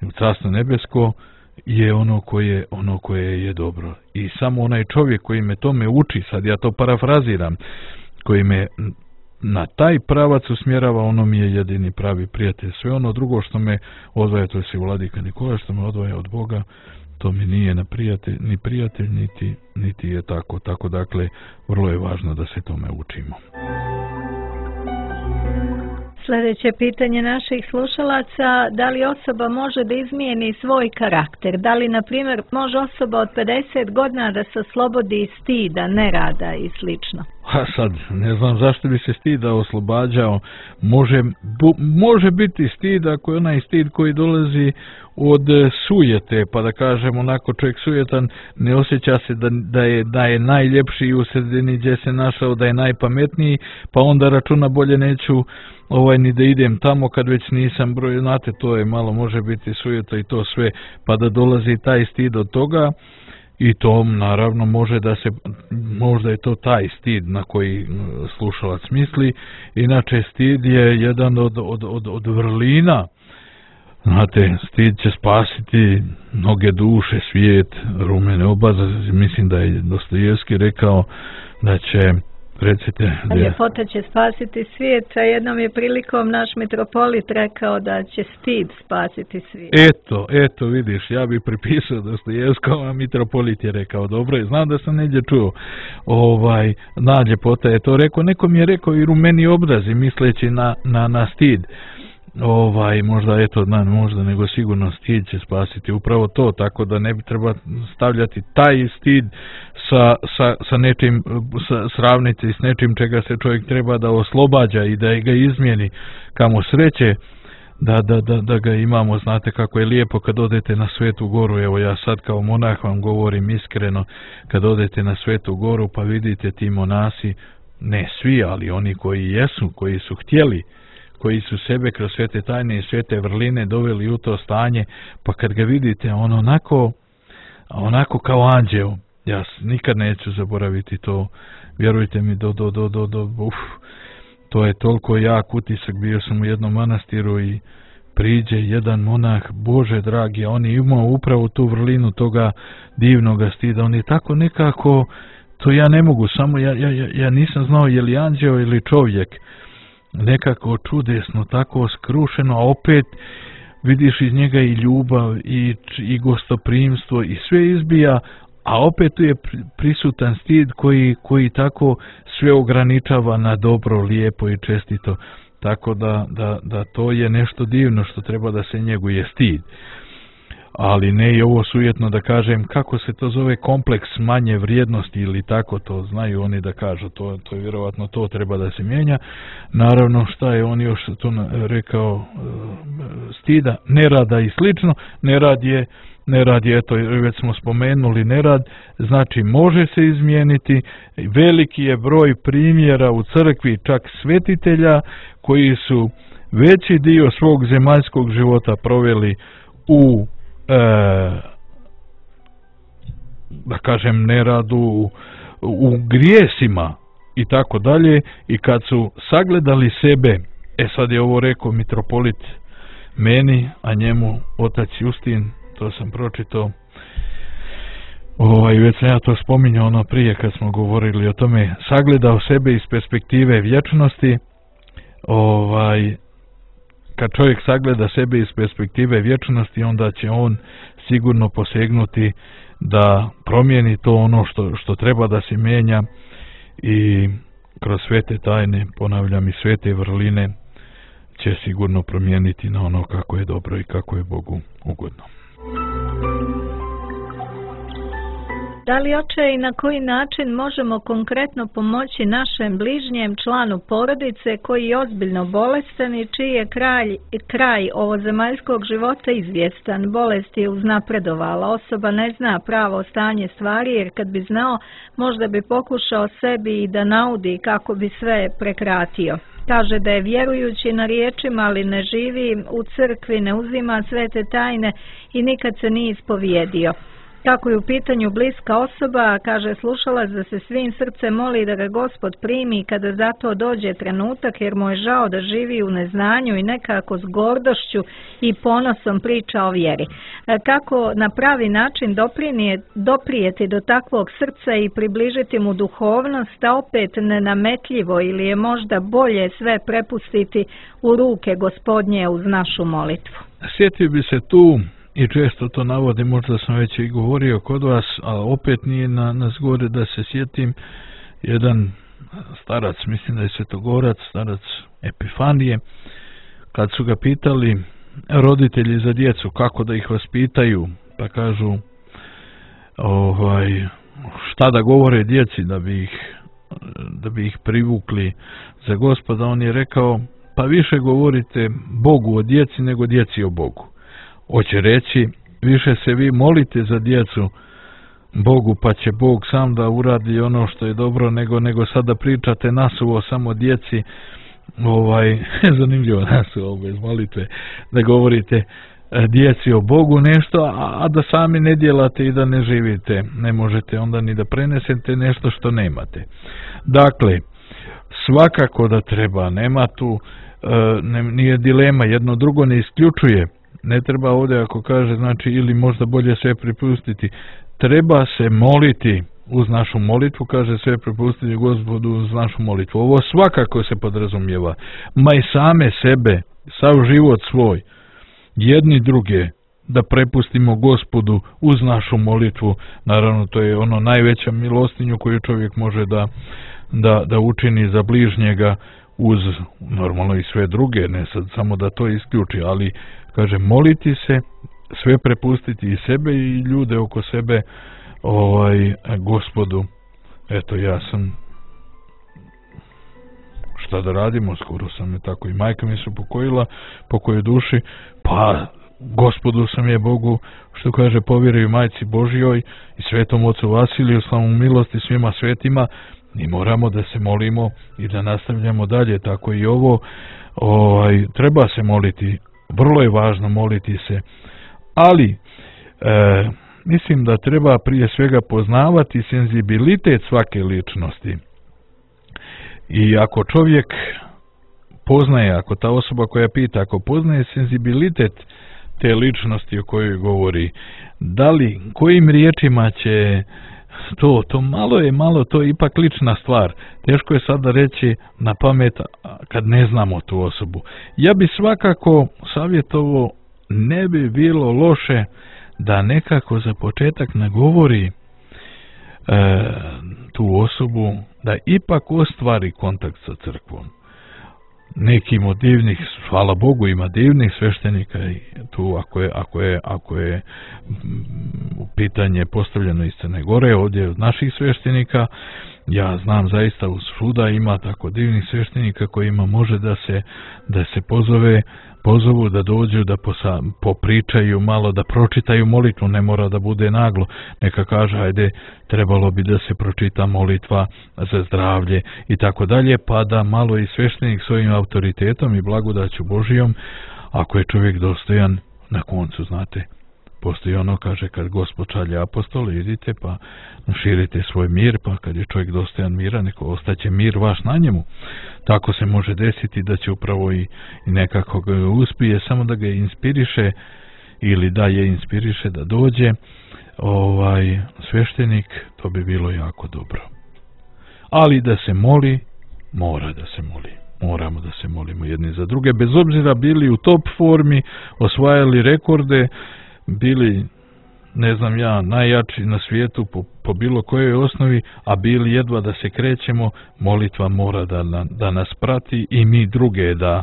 i u carstvo nebesko, je ono koje, ono koje je dobro. I samo onaj čovjek koji me tome uči, sad ja to parafraziram, koji me na taj pravac usmjerava, ono mi je jedini pravi prijatelj. Sve ono drugo što me odvaja, to je si vladika Nikola, što me odvaja od Boga, to mi nije na prijatelj, ni prijatelj, niti, niti je tako. Tako dakle, vrlo je važno da se tome učimo. Sljedeće pitanje naših slušalaca, da li osoba može da izmijeni svoj karakter? Da li, na primjer, može osoba od pedeset godina da se oslobodi stida, nerada i slično? A sad, ne znam zašto bi se stida oslobađao. Može, bu, može biti stid ako je onaj stid koji dolazi od sujete, pa da kažem onako čovjek sujetan ne osjeća se da, da, je, da je najljepši u sredini gdje se našao, da je najpametniji, pa onda računa bolje neću ovaj ni da idem tamo kad već nisam broj, znate, to je malo, može biti sujeta i to sve, pa da dolazi taj stid od toga. I to naravno može da se, možda je to taj stid na koji slušalac misli, inače stid je jedan od, od, od, od vrlina. Znate, stid će spasiti mnoge duše, svijet, rumene obaze, mislim da je Dostojevski rekao da će, recite... Da... Ljepota će spasiti svijet, a jednom je prilikom naš mitropolit rekao da će stid spasiti svijet. Eto, eto, vidiš, ja bih pripisao Dostojevskom, a mitropolit je rekao, dobro je, znam da sam negdje čuo, ovaj, na ljepota je to rekao, neko mi je rekao i rumeni obrazi, misleći na, na, na stid. Ovaj, možda eto, na, možda nego sigurno stid će spasiti upravo to, tako da ne bi treba stavljati taj stid sa, sa, sa nečim, sa, sravniti s nečim čega se čovjek treba da oslobađa i da ga izmijeni. Kamo sreće da, da, da, da ga imamo, znate kako je lijepo kad odete na Svetu Goru, evo ja sad kao monah vam govorim iskreno, kad odete na Svetu Goru pa vidite ti monasi, ne svi, ali oni koji jesu, koji su htjeli, koji su sebe kroz svete tajne i svete vrline doveli u to stanje, pa kad ga vidite, on onako, onako kao anđeo, ja nikad neću zaboraviti to, vjerujte mi, do, do, do, do, do, uf, to je toliko jak utisak, bio sam u jednom manastiru i priđe jedan monah, Bože dragi, on je imao upravo tu vrlinu toga divnoga stida, on je tako nekako, to ja ne mogu, samo ja, ja, ja nisam znao je li anđeo ili čovjek, nekako čudesno, tako skrušeno, a opet vidiš iz njega i ljubav i, i gostoprimstvo i sve izbija, a opet tu je prisutan stid koji, koji tako sve ograničava na dobro, lijepo i čestito, tako da, da, da to je nešto divno što treba da se njeguje stid. Ali ne i ovo sujetno da kažem, kako se to zove, kompleks manje vrijednosti ili tako, to znaju oni da kažu, to, to je vjerovatno to treba da se mijenja. Naravno, šta je on još to rekao, stida, nerada i slično, nerad je, nerad je, eto, već smo spomenuli nerad, znači može se izmijeniti, veliki je broj primjera u crkvi, čak svetitelja, koji su veći dio svog zemaljskog života proveli u E, da kažem neradu, u, u grijesima i tako dalje, i kad su sagledali sebe, e sad je ovo rekao mitropolit meni, a njemu otac Justin, to sam pročitao, ovaj, već sam ja to spominjao ono prije kad smo govorili o tome, sagledao sebe iz perspektive vječnosti, ovaj, kad čovjek sagleda sebe iz perspektive vječnosti, onda će on sigurno posegnuti da promijeni to ono što, što treba da se mijenja i kroz svete tajne, ponavljam i svete vrline, će sigurno promijeniti na ono kako je dobro i kako je Bogu ugodno. Da li, oče, i na koji način možemo konkretno pomoći našem bližnjem članu porodice koji je ozbiljno bolestan i čiji je kraj, kraj ovozemaljskog života izvjestan? Bolest je uznapredovala, osoba ne zna pravo stanje stvari, jer kad bi znao, možda bi pokušao sebi i da naudi kako bi sve prekratio. Kaže da je vjerujući na riječima, ali ne živi u crkvi, ne uzima svete tajne i nikad se nije ispovijedio. Kako je u pitanju bliska osoba, kaže slušalac da se svim srcem moli da ga Gospod primi kada za to dođe trenutak, jer mu je žao da živi u neznanju i nekako s gordošću i ponosom priča o vjeri. Kako na pravi način doprijeti do takvog srca i približiti mu duhovnost, a opet nenametljivo, ili je možda bolje sve prepustiti u ruke Gospodnje uz našu molitvu? Sjetio bi se tu, i često to navodim, možda sam već i govorio kod vas, a opet nije na, na zgore da se sjetim, jedan starac, mislim da je svetogorac, starac Epifanije, kad su ga pitali roditelji za djecu kako da ih vaspitaju, pa kažu ovaj, šta da govore djeci da bi ih, da bi ih privukli za Gospoda, on je rekao, pa više govorite Bogu o djeci nego djeci o Bogu. Hoće reći, više se vi molite za djecu Bogu, pa će Bog sam da uradi ono što je dobro, nego nego sada pričate nasuvo samo djeci, ovaj, zanimljivo nasuvo bez molitve, da govorite djeci o Bogu nešto, a, a da sami ne djelate i da ne živite. Ne možete onda ni da prenesete nešto što nemate. Dakle, svakako da treba, nema tu, ne, nije dilema, jedno drugo ne isključuje. Ne treba ovdje, ako kaže, znači, ili možda bolje sve prepustiti, treba se moliti uz našu molitvu, kaže sve prepustiti Gospodu uz našu molitvu. Ovo svakako se podrazumijeva, ma i same sebe, sav život svoj, jedni druge, da prepustimo Gospodu uz našu molitvu. Naravno, to je ono najveća milostinju koju čovjek može da, da, da učini za bližnjega, uz normalno i sve druge, ne sad samo da to isključi, ali kaže moliti se, sve prepustiti i sebe i ljude oko sebe ovaj Gospodu. Eto, ja sam, šta da radimo, skoro sam je tako, i majka mi se pokojila, pokoj duši, pa Gospodu sam je Bogu, što kaže, povjeruju majci Božjoj i svetom ocu Vasiliju, slavu milosti svima svetima, i moramo da se molimo i da nastavljamo dalje. Tako i ovo, ovaj, treba se moliti, vrlo je važno moliti se, ali e, mislim da treba prije svega poznavati senzibilitet svake ličnosti. I ako čovjek poznaje, ako ta osoba koja pita, ako poznaje senzibilitet te ličnosti o kojoj govori, da li, kojim riječima će to, to malo je malo, to je ipak lična stvar. Teško je sada reći na pamet kad ne znamo tu osobu. Ja bi svakako savjetovao, ne bi bilo loše da nekako za početak nagovori e, tu osobu da ipak ostvari kontakt sa crkvom. Nekim od divnih, hvala Bogu, ima divnih sveštenika i tu ako je, ako je, ako je pitanje postavljeno iz Crne Gore, ovdje od naših sveštenika, ja znam zaista u svuda ima tako divnih sveštenika kojima može da se, da se pozove, pozovu da dođu, da posa, popričaju malo, da pročitaju molitvu, ne mora da bude naglo, neka kaže, ajde, trebalo bi da se pročita molitva za zdravlje i tako dalje, pa da malo i sveštenik svojim autoritetom i blagodaću Božijom, ako je čovjek dostojan, na koncu, znate, postoji ono, kaže, kad Gospod šalje apostole, idite pa širite svoj mir, pa kad je čovjek dostojan mira, neko ostaće mir vaš na njemu. Tako se može desiti da će upravo i, i nekako ga uspije, samo da ga inspiriše ili da je inspiriše da dođe ovaj sveštenik, to bi bilo jako dobro. Ali da se moli, mora da se moli. Moramo da se molimo jedni za druge, bez obzira bili u top formi, osvajali rekorde, bili ne znam ja, najjači na svijetu po, po bilo kojoj osnovi, a bili jedva da se krećemo, molitva mora da, da nas prati i mi druge da,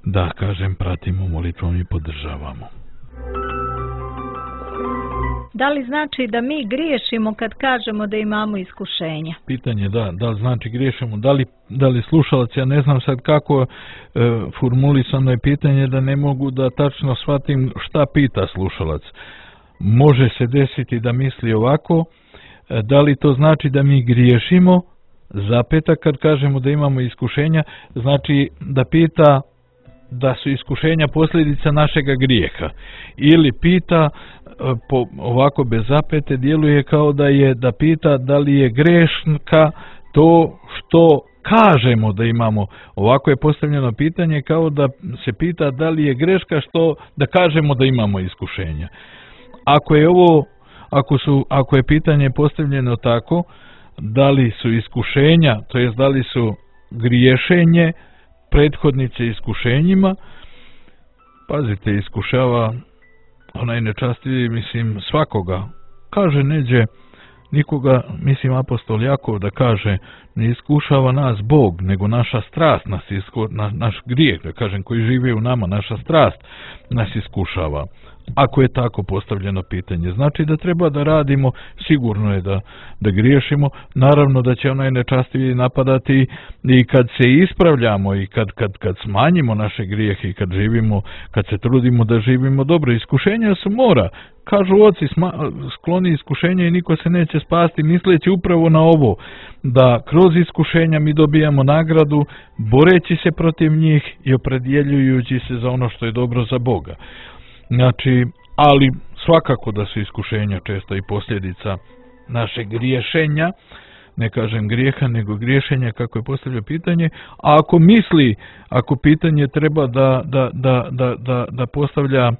da kažem, pratimo molitvom i podržavamo. Da li znači da mi griješimo kad kažemo da imamo iskušenja? Pitanje da, da li znači griješimo, da li, da li slušalac, ja ne znam sad kako e, formulisano je pitanje da ne mogu da tačno shvatim šta pita slušalac. Može se desiti da misli ovako, e, da li to znači da mi griješimo, zapeta kad kažemo da imamo iskušenja, znači da pita da su iskušenja posljedica našega grijeha, ili pita po, ovako bez zapete djeluje kao da je da pita da li je greška to što kažemo da imamo. Ovako je postavljeno pitanje kao da se pita da li je greška što da kažemo da imamo iskušenja. Ako je ovo ako su ako je pitanje postavljeno tako, da li su iskušenja, to jest da li su griješenje prethodnice iskušenjima, pazite, iskušava onaj nečastiviji, mislim, svakoga. Kaže neđe, nikoga, mislim, apostol Jakov da kaže, ne iskušava nas Bog, nego naša strast nas isku, na, naš grijeh, da kažem, koji živi u nama, naša strast nas iskušava. Ako je tako postavljeno pitanje, znači da treba da radimo, sigurno je da, da griješimo, naravno da će onaj nečastiviji napadati i kad se ispravljamo i kad, kad, kad smanjimo naše grijehe i kad živimo, kad se trudimo da živimo dobro. Iskušenja su mora, kažu oci, skloni iskušenja i niko se neće spasti, misleći upravo na ovo, da kroz iskušenja mi dobijamo nagradu, boreći se protiv njih i opredjeljujući se za ono što je dobro za Boga. Znači, ali svakako da su iskušenja često i posljedica našeg griješenja, ne kažem grijeha, nego griješenja kako je postavljeno pitanje, a ako misli, ako pitanje treba da, da, da, da, da, da postavlja,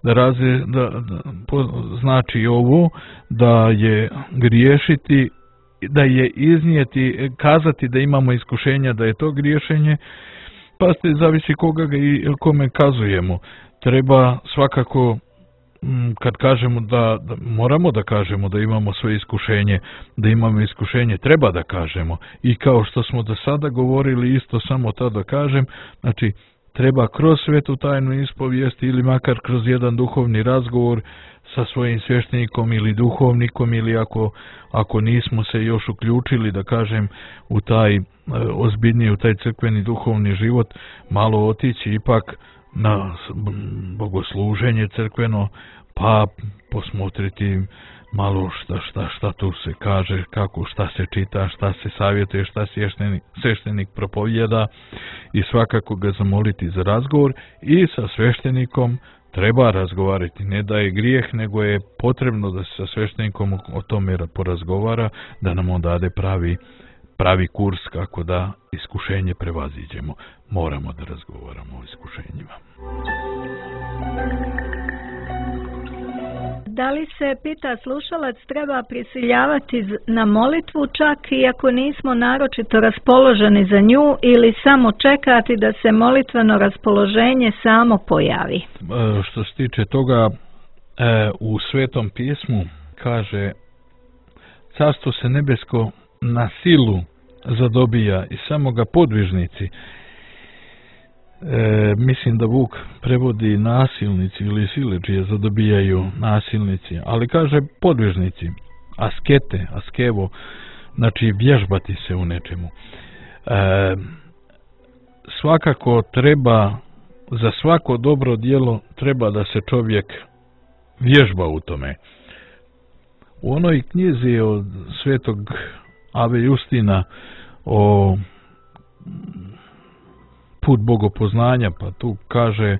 da, razve, da, da po, znači ovo, da je griješiti, da je iznijeti, kazati da imamo iskušenja, da je to griješenje, pa ste zavisi koga ga i kome kazujemo. Treba svakako, kad kažemo da, da moramo da kažemo da imamo svoje iskušenje, da imamo iskušenje, treba da kažemo. I kao što smo do sada govorili, isto samo to da kažem, znači treba kroz svetu tajnu ispovijest ili makar kroz jedan duhovni razgovor sa svojim sveštenikom ili duhovnikom, ili ako, ako nismo se još uključili, da kažem, u taj ozbiljniji, u taj crkveni duhovni život, malo otići ipak na bogosluženje crkveno, pa posmotriti malo šta, šta, šta tu se kaže, kako, šta se čita, šta se savjetuje, šta sveštenik, sveštenik propovjeda, i svakako ga zamoliti za razgovor. I sa sveštenikom treba razgovarati, ne da je grijeh, nego je potrebno da se sa sveštenikom o tome porazgovara, da nam on dade pravi pravi kurs kako da iskušenje prevaziđemo. Moramo da razgovaramo o iskušenjima. Da li se, pita slušalac, treba prisiljavati na molitvu čak i ako nismo naročito raspoloženi za nju, ili samo čekati da se molitveno raspoloženje samo pojavi? Što se tiče toga, u Svetom pismu kaže: carstvo se nebesko na silu zadobija i samo ga podvižnici, e, mislim da Vuk prevodi nasilnici ili siledžije zadobijaju nasilnici, ali kaže podvižnici, askete, askevo, znači vježbati se u nečemu. E, svakako treba, za svako dobro djelo treba da se čovjek vježba u tome. U onoj knjizi od svetog Ave Justina o put bogopoznanja, pa tu kaže,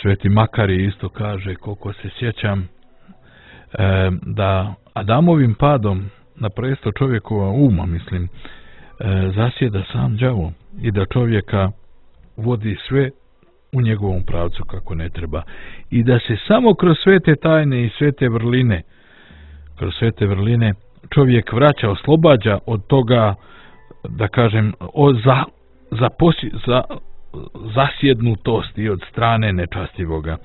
sveti Makari isto kaže, koliko se sjećam, e, da Adamovim padom na presto čovjekova uma, mislim, e, zasjeda sam đavo i da čovjeka vodi sve u njegovom pravcu kako ne treba. I da se samo kroz sve te tajne i sve te vrline, kroz sve te vrline čovjek vraća, oslobađa od toga, da kažem, o za, za, posi, za zasjednutosti od strane nečastivoga.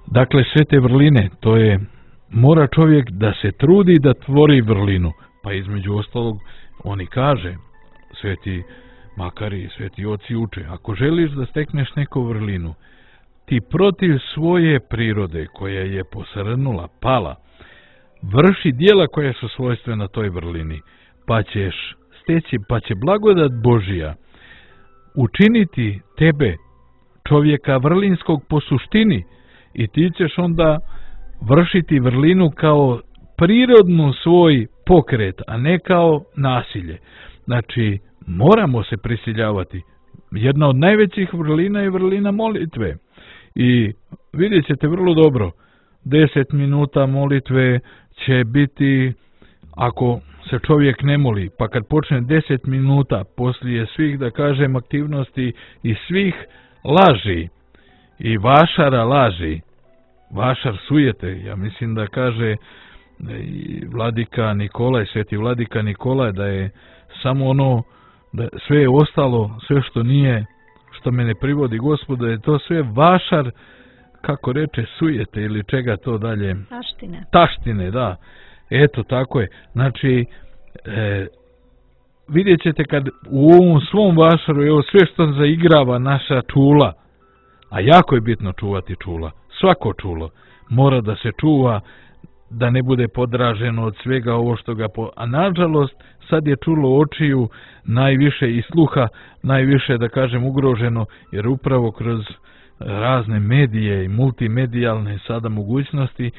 Dakle, sve te vrline, to je, mora čovjek da se trudi da tvori vrlinu. Pa između ostalog, oni kaže, sveti makari, sveti oci uče, ako želiš da stekneš neku vrlinu, ti protiv svoje prirode, koja je posrnula, pala, vrši dijela koja su svojstvena toj vrlini, pa ćeš steći, pa će blagodat Božija učiniti tebe, čovjeka vrlinskog po suštini, i ti ćeš onda vršiti vrlinu kao prirodnu svoj pokret, a ne kao nasilje. Znači, moramo se prisiljavati. Jedna od najvećih vrlina je vrlina molitve. I vidjet ćete vrlo dobro, deset minuta molitve će biti, ako se čovjek ne moli, pa kad počne deset minuta poslije svih, da kažem, aktivnosti i svih laži i vašara laži, vašar sujete, ja mislim da kaže i vladika Nikolaj, sveti vladika Nikolaj, da je samo ono, da sve je ostalo, sve što nije, što me ne privodi Gospod, da je to sve vašar, kako reče, sujete ili čega to dalje? Taštine. Taštine, da. Eto, tako je. Znači, e, vidjet ćete kad u ovom svom vašaru, evo sve što zaigrava naša čula, a jako je bitno čuvati čula, svako čulo mora da se čuva, da ne bude podraženo od svega ovo što ga po... A nažalost, sad je čulo očiju najviše i sluha, najviše, da kažem, ugroženo, jer upravo kroz razne medije i multimedijalne sada mogućnosti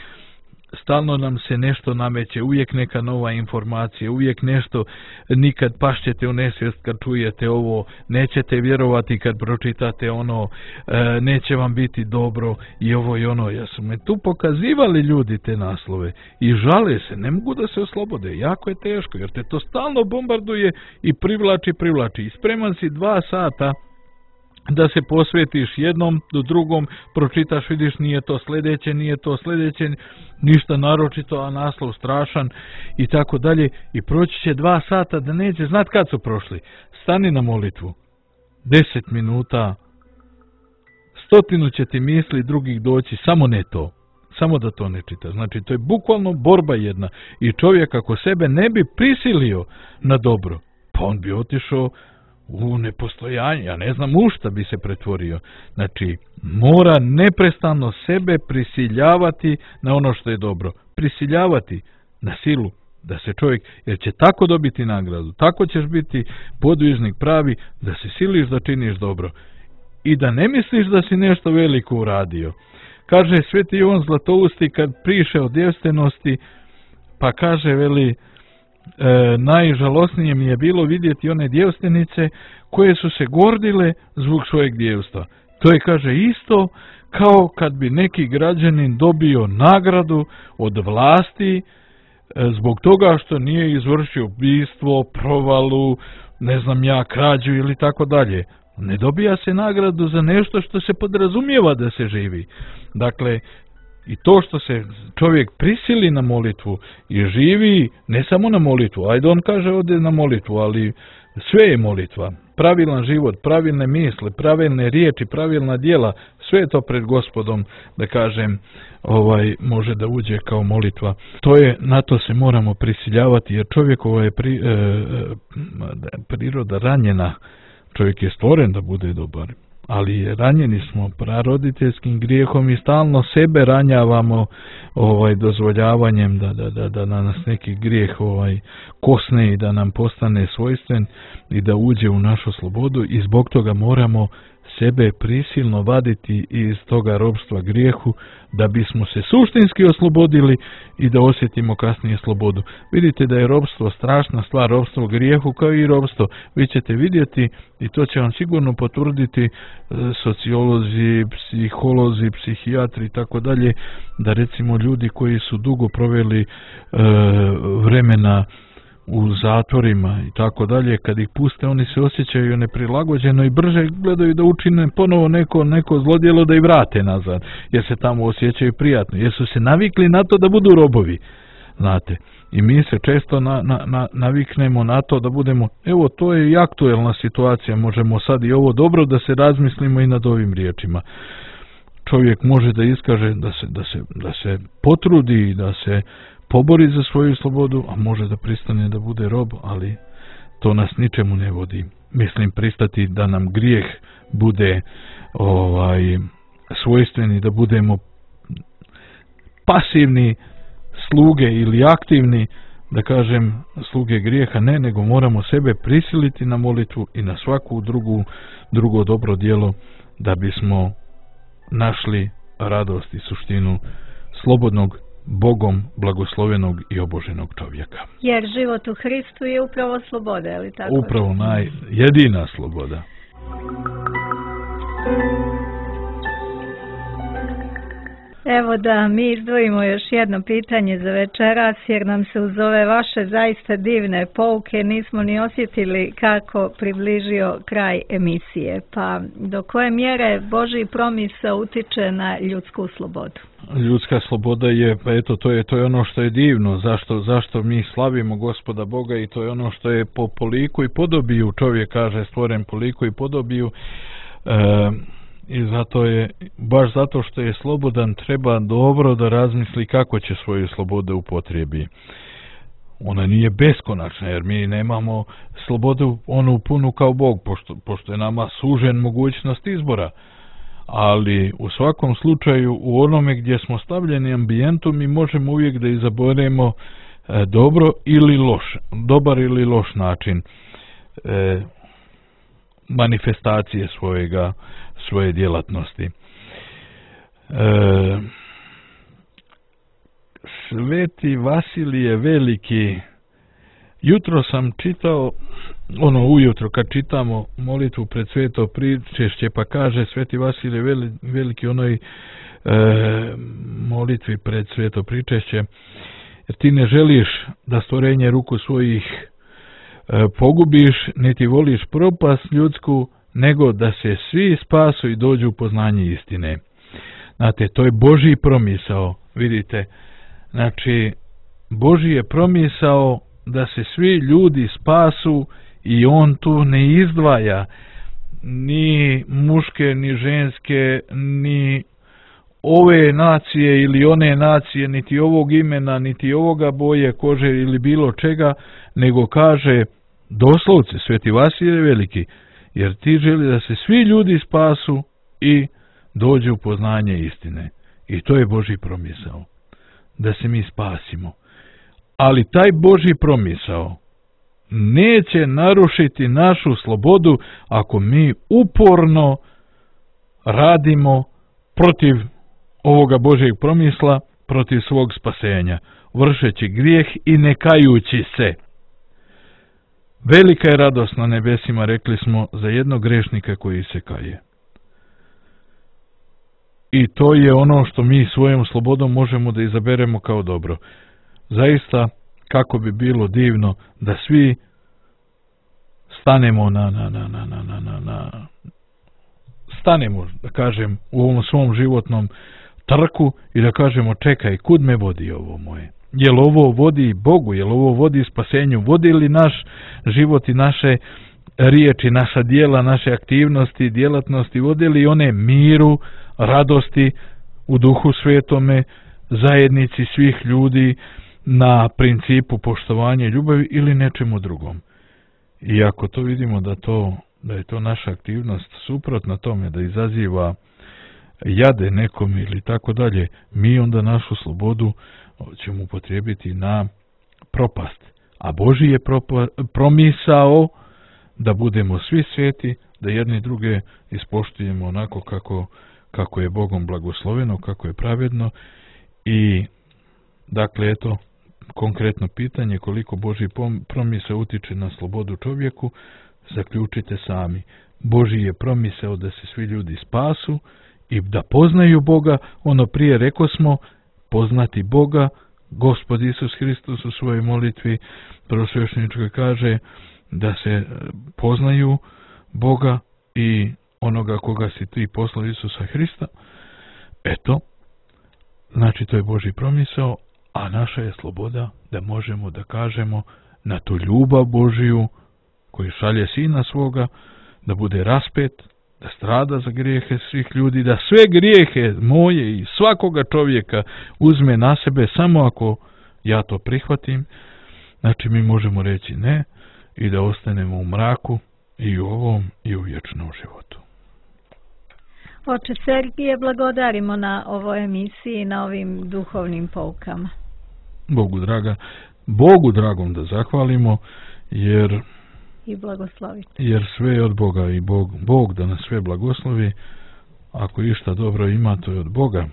stalno nam se nešto nameće, uvijek neka nova informacija, uvijek nešto, nikad pašćete u nesvijest kad čujete ovo, nećete vjerovati kad pročitate ono, e, neće vam biti dobro i ovo i ono. Ja su me tu pokazivali ljudi te naslove i žale se, ne mogu da se oslobode, jako je teško jer te to stalno bombarduje i privlači, privlači i spreman si dva sata da se posvetiš jednom do drugom, pročitaš, vidiš, nije to sljedeće, nije to sljedeće, ništa naročito, a naslov strašan i tako dalje, i proći će dva sata da neće znat kad su prošli. Stani na molitvu, deset minuta, stotinu će ti misli drugih doći, samo ne to, samo da to ne čita. Znači, to je bukvalno borba jedna i čovjek ako sebe ne bi prisilio na dobro, pa on bi otišao u nepostojanje, ja ne znam u šta bi se pretvorio. Znači, mora neprestano sebe prisiljavati na ono što je dobro. Prisiljavati na silu, da se čovjek, jer će tako dobiti nagradu, tako ćeš biti podvižnik pravi, da se siliš da činiš dobro i da ne misliš da si nešto veliko uradio. Kaže sveti Jovan Zlatousti kad priše o djevstvenosti, pa kaže, veli, E, najžalosnije mi je bilo vidjeti one djevstvenice koje su se gordile zbog svojeg djevstva. To je, kaže, isto kao kad bi neki građanin dobio nagradu od vlasti e, zbog toga što nije izvršio ubistvo, provalu, ne znam ja, krađu ili tako dalje. Ne dobija se nagradu za nešto što se podrazumijeva da se živi. Dakle, i to što se čovjek prisili na molitvu i živi ne samo na molitvu, ajde on kaže ode na molitvu, ali sve je molitva. Pravilan život, pravilne misle, pravilne riječi, pravilna djela, sve je to pred Gospodom, da kažem, ovaj može da uđe kao molitva. To je, na to se moramo prisiljavati, jer čovjekova je pri, e, priroda ranjena. Čovjek je stvoren da bude dobar, ali ranjeni smo praroditeljskim grijehom i stalno sebe ranjavamo ovaj dozvoljavanjem da, da, da, da nas neki grijeh ovaj kosne i da nam postane svojstven i da uđe u našu slobodu, i zbog toga moramo sebe prisilno vaditi iz toga ropstva grijehu da bismo se suštinski oslobodili i da osjetimo kasnije slobodu. Vidite da je ropstvo strašna stvar, ropstvo grijehu kao i ropstvo. Vi ćete vidjeti, i to će vam sigurno potvrditi sociolozi, psiholozi, psihijatri i tako dalje, da recimo ljudi koji su dugo proveli e, vremena u zatvorima i tako dalje, kad ih puste, oni se osjećaju neprilagođeno i brže gledaju da učine ponovo neko, neko zlodjelo da ih vrate nazad, jer se tamo osjećaju prijatno, jer su se navikli na to da budu robovi, znate. I mi se često na, na, na, naviknemo na to da budemo, evo, to je i aktuelna situacija, možemo sad i ovo dobro da se razmislimo i nad ovim riječima. čovjek može da iskaže, da se, da se, da se potrudi, da se pobori za svoju slobodu, a može da pristane da bude rob, ali to nas ničemu ne vodi. Mislim, pristati da nam grijeh bude ovaj svojstveni, da budemo pasivni sluge ili aktivni, da kažem, sluge grijeha, ne, nego moramo sebe prisiliti na molitvu i na svaku drugu, drugo dobro djelo da bismo našli radost i suštinu slobodnog, Bogom blagoslovenog i oboženog čovjeka. Jer život u Hristu je upravo sloboda, je li tako? Upravo naj, jedina sloboda. Evo da mi izdvojimo još jedno pitanje za večeras, jer nam se uz ove vaše zaista divne pouke nismo ni osjetili kako približio kraj emisije. Pa do koje mjere Božji promisao utiče na ljudsku slobodu? Ljudska sloboda je, pa eto, to je, to je ono što je divno, zašto, zašto mi slavimo Gospoda Boga, i to je ono što je po, po liku i podobiju, čovjek kaže stvoren po liku i podobiju, e, i zato je, baš zato što je slobodan, treba dobro da razmisli kako će svoju slobodu upotrebi. Ona nije beskonačna, jer mi nemamo slobodu onu punu kao Bog, pošto, pošto je nama sužen mogućnost izbora. Ali u svakom slučaju u onome gdje smo stavljeni ambijentu mi možemo uvijek da izaberemo e, dobro ili loš, dobar ili loš način e, manifestacije svojega, svoje djelatnosti. E, Sveti Vasilije Veliki, jutro sam čitao, ono ujutro kad čitamo molitvu pred sveto pričešće, pa kaže Sveti Vasilije Veliki onoj e, molitvi pred sveto pričešće, jer ti ne želiš da stvorenje ruku svojih e, pogubiš, niti voliš propast ljudsku, nego da se svi spasu i dođu u poznanje istine. Znate, to je Božji promisao, vidite, znači Božji je promisao da se svi ljudi spasu i on tu ne izdvaja ni muške, ni ženske, ni ove nacije ili one nacije, niti ovog imena, niti ovoga boje kože ili bilo čega, nego kaže doslovce Sveti Vasilije Veliki, jer ti želi da se svi ljudi spasu i dođu u poznanje istine. I to je Božji promisao, da se mi spasimo. Ali taj Božji promisao neće narušiti našu slobodu ako mi uporno radimo protiv ovoga Božjeg promisla, protiv svog spasenja, vršeći grijeh i ne kajući se. Velika je radost na nebesima, rekli smo, za jednog grešnika koji se kaje. I to je ono što mi svojom slobodom možemo da izaberemo kao dobro. Zaista, kako bi bilo divno da svi stanemo na, na, na, na, na, na, na, na stanemo, da kažem, u ovom svom životnom trku i da kažemo, čekaj, kud me vodi ovo moje? Jel ovo vodi Bogu, jel ovo vodi spasenju, vodi li naš život i naše riječi, naša djela, naše aktivnosti, djelatnosti, vodi li one miru, radosti u Duhu Svetome, zajednici svih ljudi, na principu poštovanja i ljubavi ili nečemu drugom. I ako to vidimo da to, da je to naša aktivnost suprotna tome, da izaziva jade nekom ili tako dalje, mi onda našu slobodu ćemo upotrijebiti na propast. A Božji je propa, promisao da budemo svi sveti, da jedni druge ispoštujemo onako kako, kako je Bogom blagosloveno, kako je pravedno. I dakle, eto, konkretno pitanje, koliko Božji promisao utiče na slobodu čovjeku, zaključite sami. Božji je promisao da se svi ljudi spasu i da poznaju Boga. Ono prije reko smo, poznati Boga, Gospod Isus Hristos u svojoj molitvi prvosvešćeničkoj kaže da se poznaju Boga i onoga koga si ti poslao, Isusa Hrista. Eto, znači to je Božji promisao, a naša je sloboda da možemo da kažemo na tu ljubav Božiju koju šalje Sina svoga, da bude raspet da strada za grijehe svih ljudi, da sve grijehe moje i svakoga čovjeka uzme na sebe samo ako ja to prihvatim. Znači mi možemo reći ne i da ostanemo u mraku i u ovom i u vječnom životu. Oče Sergije, blagodarimo na ovoj emisiji, na ovim duhovnim poukama. Bogu draga, Bogu dragom da zahvalimo, jer i blagosloviti. Jer sve je od Boga i Bog, Bog da nas sve blagoslovi. Ako išta dobro ima, to je od Boga.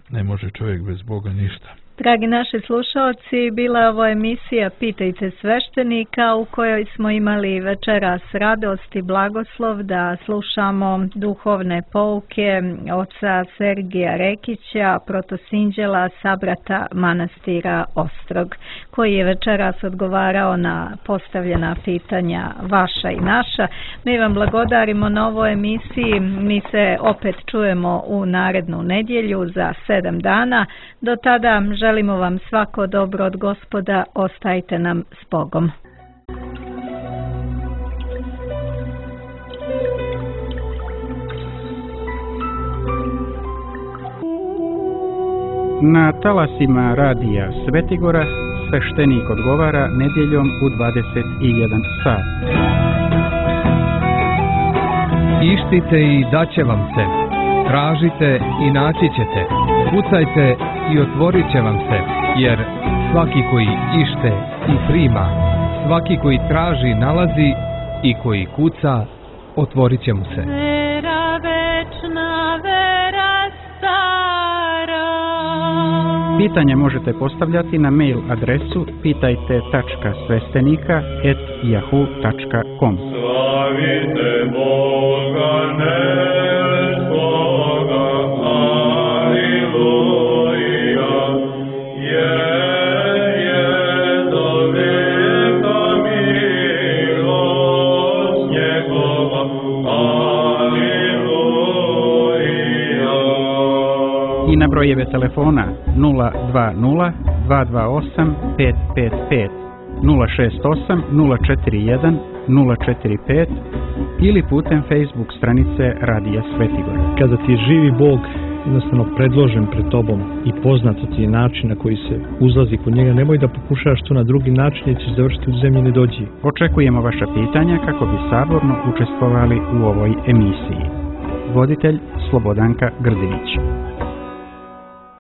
Ne može čovjek bez Boga ništa. Dragi naši slušalci, bila je ovo emisija Pitajte sveštenika u kojoj smo imali večeras radost i blagoslov da slušamo duhovne pouke oca Sergija Rekića, protosinđela sabrata manastira Ostrog, koji je večeras odgovarao na postavljena pitanja vaša i naša. Mi vam blagodarimo na ovoj emisiji. Mi se opet čujemo u narednu nedjelju za sedam dana. Do tada želimo vam svako dobro od Gospoda, ostajte nam s Bogom. Na talasima radija Svetigora sveštenik odgovara nedjeljom u dvadeset jedan sat. Ištite i daće vam se. Tražite i naći ćete. Kucajte i otvorit će vam se, jer svaki koji ište i prima, svaki koji traži nalazi i koji kuca, otvorit će mu se. Vera večna, vera stara. Pitanja možete postavljati na mail adresu pitajte tačka sveštenika et yahoo tačka com. Slavite Boga neskoga, aleluja, je, je do veka milost njegova, aleluja. I na brojeve telefona nula dva nula dva dva osam pet pet pet, nula šest osam nula četiri jedan nula četiri pet ili putem Facebook stranice Radija Svetigora. Kada ti je živi Bog jednostavno predložen pred tobom i poznato ti je način na koji se uzlazi kod njega, nemoj da pokušaš to na drugi način jer ćeš završiti u zemlji nedođi. Očekujemo vaša pitanja kako bi saborno učestvovali u ovoj emisiji. Voditelj Slobodanka Grdinić.